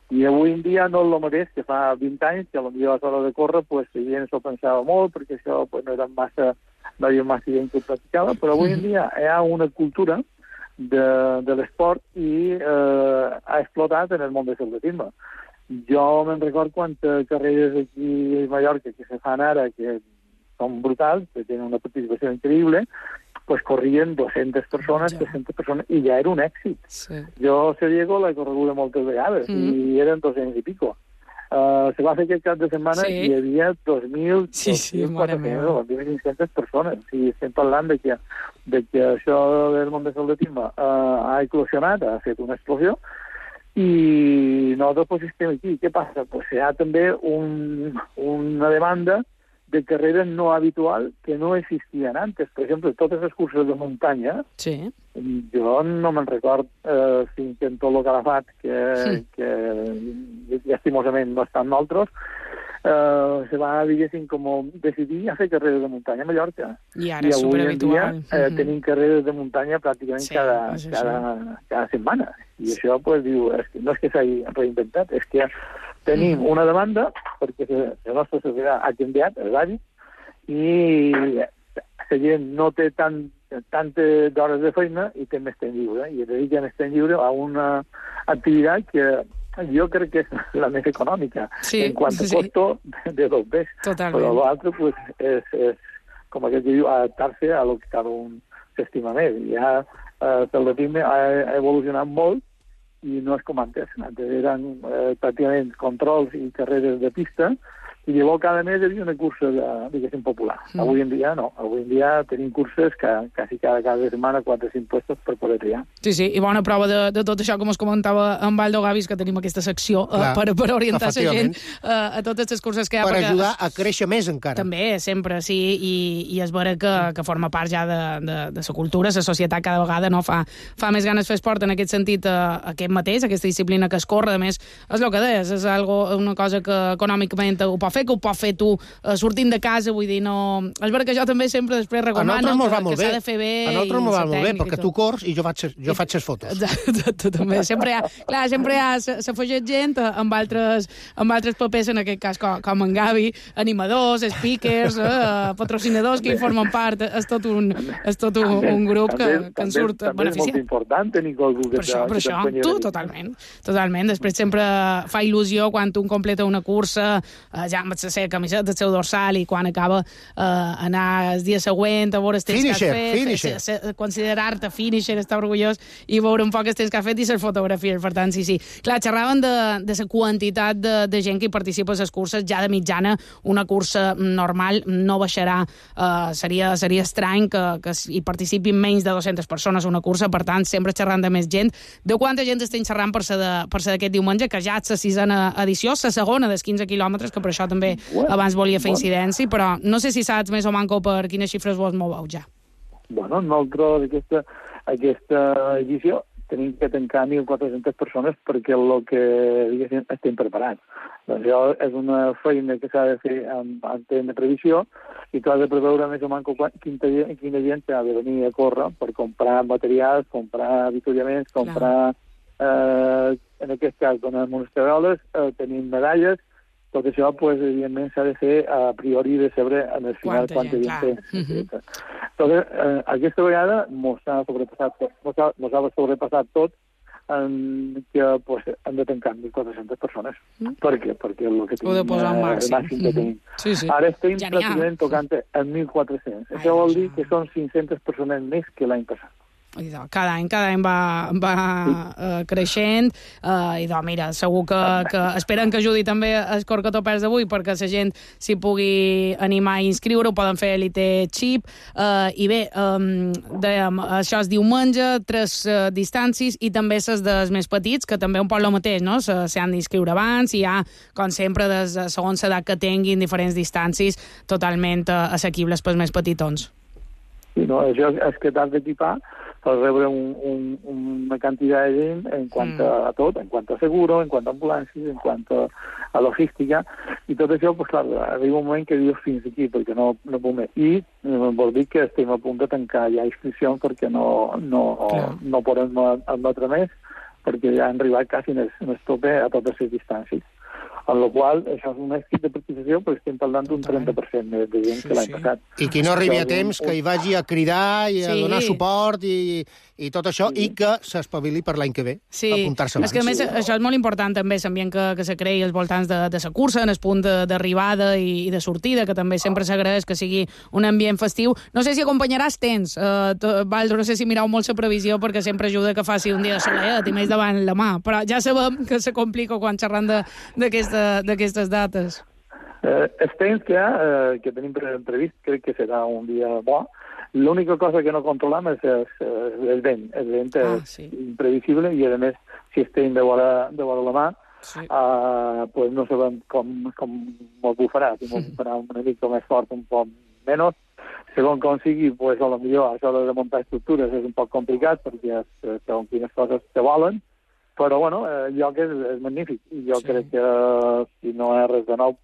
I avui en dia no és el mateix que fa 20 anys, que potser a l'hora de córrer pues, la gent s'ho pensava molt, perquè això pues, no hi havia massa gent que ho practicava, però avui en dia hi ha una cultura de l'esport i ha explotat en el món de l'atletisme. Jo me'n record quantes carreres aquí a Mallorca que se fan ara, que són brutals, que tenen una participació increïble, pues corrien 200 persones, 300 persones, i ja era un èxit. Sí. Jo a Diego l'he correguda moltes vegades, i eren 200 i pico. Se va fer aquest cap de setmana i hi havia 2.000, 2.400, 2.500 persones. O sigui, estem parlant de que això del món de l'atletisme ha eclosionat, ha fet una explosió, i nosaltres pues, estem aquí. Què passa? Pues hi ha també una demanda de carreras no habitual que no existían antes. Per exemple, totes les curses de muntanya, jo no me'n record fins en tot el Calafat, que llastimosament no estan nosaltres, se va, diguéssim, com decidir a fer carreres de muntanya a Mallorca. I ara és superhabitual. Tenim carreres de muntanya pràcticament cada setmana. I això, pues, diu, no és que s'hagi reinventat, és que tenim una demanda, perquè la nostra societat ha canviat, els hàbits, i la gent no té tantes hores de feina i té més temps lliure, i dedica més temps lliure a una activitat que jo crec que és la més econòmica en quant a costo de dos ves. Però l'altre pues, és com aquell que diu, adaptar-se a lo que cada un s'estima més. Ja l'atletisme ha evolucionat molt i no és com antes. Antes eren pràcticament controls i carreres de pista, i llavors cada mes hi havia una cursa, diguéssim, popular. Avui en dia no. Avui en dia tenim curses que quasi cada setmana 4 o 5 puestos per poder triar. Sí, i bona prova de tot això, com us comentava en Baldo Gavis, que tenim aquesta secció per orientar la gent a totes les curses que hi ha. Per ajudar a créixer més encara. També, sempre, sí, i és vera que forma part ja de la cultura, la societat cada vegada no fa més ganes fer esport en aquest sentit, aquest mateix, aquesta disciplina que es corre, a més, és el que deies, és una cosa que econòmicament ho pot fer, que ho pots fer tu sortint de casa, vull dir, no... És vera que jo també sempre després recomano que s'ha de fer bé. A nosaltres m'ho va molt bé, perquè tu cors i jo faig les fotos. Exacte, també. Sempre hi ha s'afegeix gent amb altres papers, en aquest cas com en Gavi, animadors, speakers, patrocinadors que hi formen part. És tot un grup que en surt beneficiat. També és molt important tenir algú que t'acompanyi. Tu, totalment. Després sempre fa il·lusió quan un completa una cursa, ja amb la camiseta del seu dorsal i quan acaba anar el dia següent a veure els temps que has fet, considerar-te finisher, estar orgullós i veure un poc els temps que has fet i les fotografies. Per tant, sí. Clar, xerraven de la quantitat de gent que hi participa a les curses. Ja de mitjana, una cursa normal no baixarà. Seria estrany que hi participin menys de 200 persones a una cursa, per tant, sempre xerrant de més gent. De quanta gent estem xerrant per ser d'aquest diumenge, que ja és la 6a edició, la segona dels 15 quilòmetres, que per això també abans volia fer incidència, però no sé si saps més o manco per quines xifres vos moveu ja. Bueno, nosaltres aquesta edició tenim que tancar 1.400 persones perquè el que diguéssim estem preparats. Doncs això és una feina que s'ha de fer en temps de previsió i tu has de preveure més o manco quina gent ha de venir a córrer per comprar materials, comprar avituallaments, comprar, en aquest cas, donem unes tabeles, tenim medalles. Tot això, evidentment, s'ha de fer a priori de saber en el final quanta gent té. Aquesta vegada mos ha sobrepassat tot que hem de tancar 1.400 persones. Per què? Perquè el que tenim, el màxim que tenim. Ara estem pràcticament tocant en 1.400. Això vol dir que són 500 persones més que l'any passat. Cada any va creixent i mira, segur que esperen que ajudi també el Corcotopers d'avui perquè la gent s'hi pugui animar a inscriure, ho poden fer a Elite Chip i bé, dèiem, això és diumenge, 3 distàncies i també les dels més petits, que també un poc el mateix, no? S'han d'inscriure abans i hi ha, com sempre, segons l'edat que tinguin, diferents distàncies totalment assequibles pels més petitons. Sí, no, això és que t'has d'equipar per rebre una quantitat de gent en quant a tot, en quant a seguro, en quant a ambulàncies, en quant a logística, i tot això, clar, arriba un moment que dius fins aquí, perquè no puc més. I vol dir que estem a punt de tancar ja inscripcions perquè no podem admetre més, perquè ja han arribat quasi en el tope a totes les distàncies. En la qual això és un èxit de participació, però estem parlant d'un 30% de gent que l'any passat. I qui no arribi a temps, que hi vagi a cridar i a donar suport i tot això, i que s'espavili per l'any que ve, apuntar-se abans. És que, a més, això és molt important també, l'ambient que se creï als voltants de la cursa, en el punt d'arribada i de sortida, que també sempre s'agraeix que sigui un ambient festiu. No sé si acompanyaràs temps, Baldo, no sé si mireu molt la previsió, perquè sempre ajuda que faci un dia de soledat i més davant la mà, però ja sabem que se complica quan xerrant d'aquestes dates. El temps que tenim previst crec que serà un dia bo. L'única cosa que no controlem és el vent. El vent és imprevisible i, a més, si estem de vora la mà, no sabem com mos bufarà. Si mos bufarà una mica més fort, un poc menys. Segons com sigui, a lo millor això de muntar estructures és un poc complicat perquè segons quines coses te volen, però el lloc és magnífic i jo crec que si no és res de nou,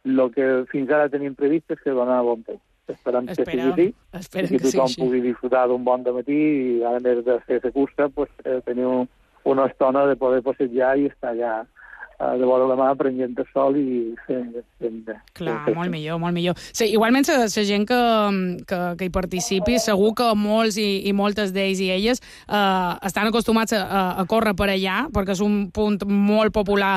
el que fins ara tenim previst és que dona bon temps. Esperem que sigui així i que tothom pugui disfrutar d'un bon dematí i a més de fer la cursa tenir una estona de poder passejar i estar allà de vora la mà prenent el sol i fent... Clar, molt millor. Sí, igualment, la gent que hi participi, segur que molts i moltes d'ells i elles estan acostumats a córrer per allà, perquè és un punt molt popular,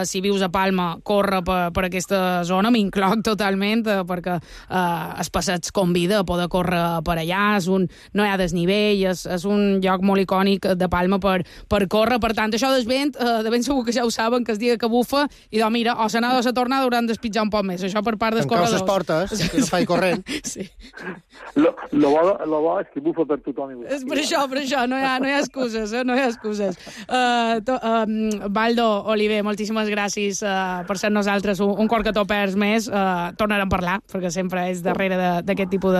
si vius a Palma, córrer per aquesta zona, m'incloc totalment, perquè els passeigs convida a poder córrer per allà, no hi ha desnivell, és un lloc molt icònic de Palma per córrer, per tant, això del vent, de ben segur que ja ho saben, que dia que bufa, i mira, o s'anada o la tornada hauran d'espitjar un poc més. Això per part dels corredors. Tancar les portes, que no faci corrent. Sí. Lo bo és que bufa per tothom. És per això, no hi ha excuses, no hi ha excuses. Baldo, Oliver, moltíssimes gràcies per ser nosaltres un Corcotopers més. Tornarem a parlar, perquè sempre és darrere d'aquest tipus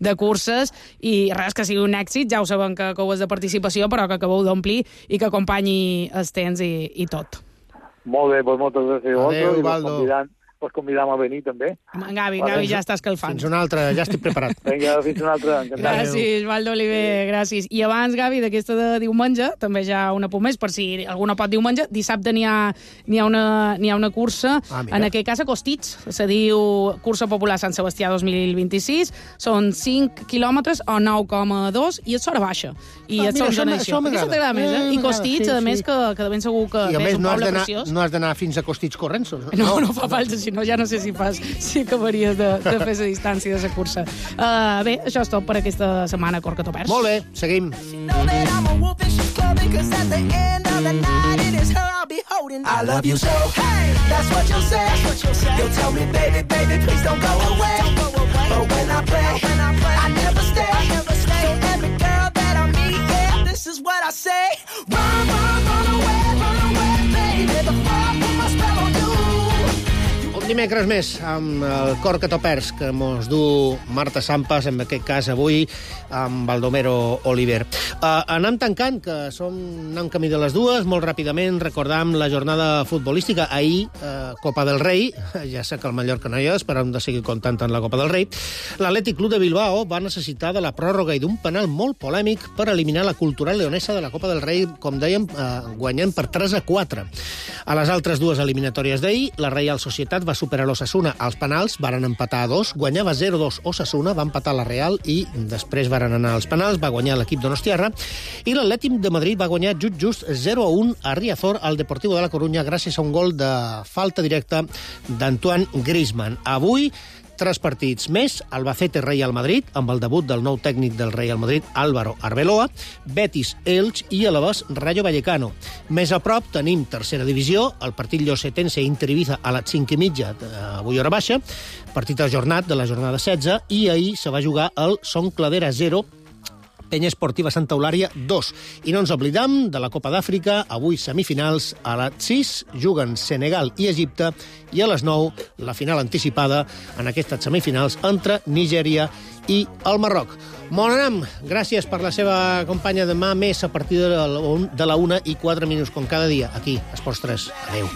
de curses, i res, que sigui un èxit, ja ho sabem que ho és de participació, però que acabeu d'omplir i que acompanyi els temps i tot. Molt bé, moltes gràcies. Adéu, Baldo. Us convidam a venir, també. Gavi ja està escalfant. Fins una altra, ja estic preparat. Vinga, fins una altra. Gràcies, Baldo Oliver, gràcies. I abans, Gavi, d'aquesta de diumenge, també ja un apunt més, per si algú no pot diumenge, dissabte n'hi ha una cursa, en aquest cas a Costitx, se diu Cursa Popular Sant Sebastià 2026, són 5 quilòmetres o 9,2 i és hora baixa. I això t'agrada més, eh? I Costitx, a més, que de ben segur que és un poble preciós. No has d'anar fins a Costitx corrents. No fa falta, si no ja no sé si acabaries de fer la distància de la cursa. Bé, això és tot per aquesta setmana a Corca Topers. Molt bé, seguim. I love you so, hey, that's what you'll say. You'll tell me, baby, baby, please don't go away. But when I play, I never stay. So every girl that I meet, yeah, this is what I say. Run, run away, baby. The fire put my spell on you. Un dimecres més amb el Corca Topers que mos du Marta Sampas, en aquest cas avui amb Baldomero Oliver. Anem tancant, que anem camí de les dues. Molt ràpidament recordam la jornada futbolística. Ahir, Copa del Rei, ja sé que el Mallorca no hi és, però hem de seguir comptant en la Copa del Rei. L'Atlètic Club de Bilbao va necessitar de la pròrroga i d'un penal molt polèmic per eliminar la Cultural Leonesa de la Copa del Rei, com dèiem, guanyant per 3-4. A les altres dues eliminatòries d'ahir, la Reial Societat va superar l'Osasuna als penals, varen empatar a 2, guanyava 0-2 Osasuna, va empatar la Real i després varen anar als penals, va guanyar l'equip donostiarra, i l'Atlètic de Madrid va guanyar just 0-1 a Riazor al Deportivo de la Coruña gràcies a un gol de falta directa d'Antoine Griezmann. Avui 3 partits més, Albacete Real Madrid, amb el debut del nou tècnic del Real Madrid, Álvaro Arbeloa, Betis Elx i Alavés Rayo Vallecano. Més a prop tenim tercera divisió, el partit llosetense Inter Ibiza a les 5:30, avui hora baixa, partit ajornat de la jornada 16, i ahir se va jugar el Son Cladera 0, Penya Esportiva Santa Eulària 2. I no ens oblidam de la Copa d'Àfrica, avui semifinals a les 6, juguen Senegal i Egipte, i a les 9 la final anticipada en aquestes semifinals entre Nigèria i el Marroc. Bon anam, gràcies per la seva companya. Demà més a partir de la 1:04, com cada dia, aquí, a Esports 3. Adéu.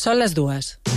Són les 2.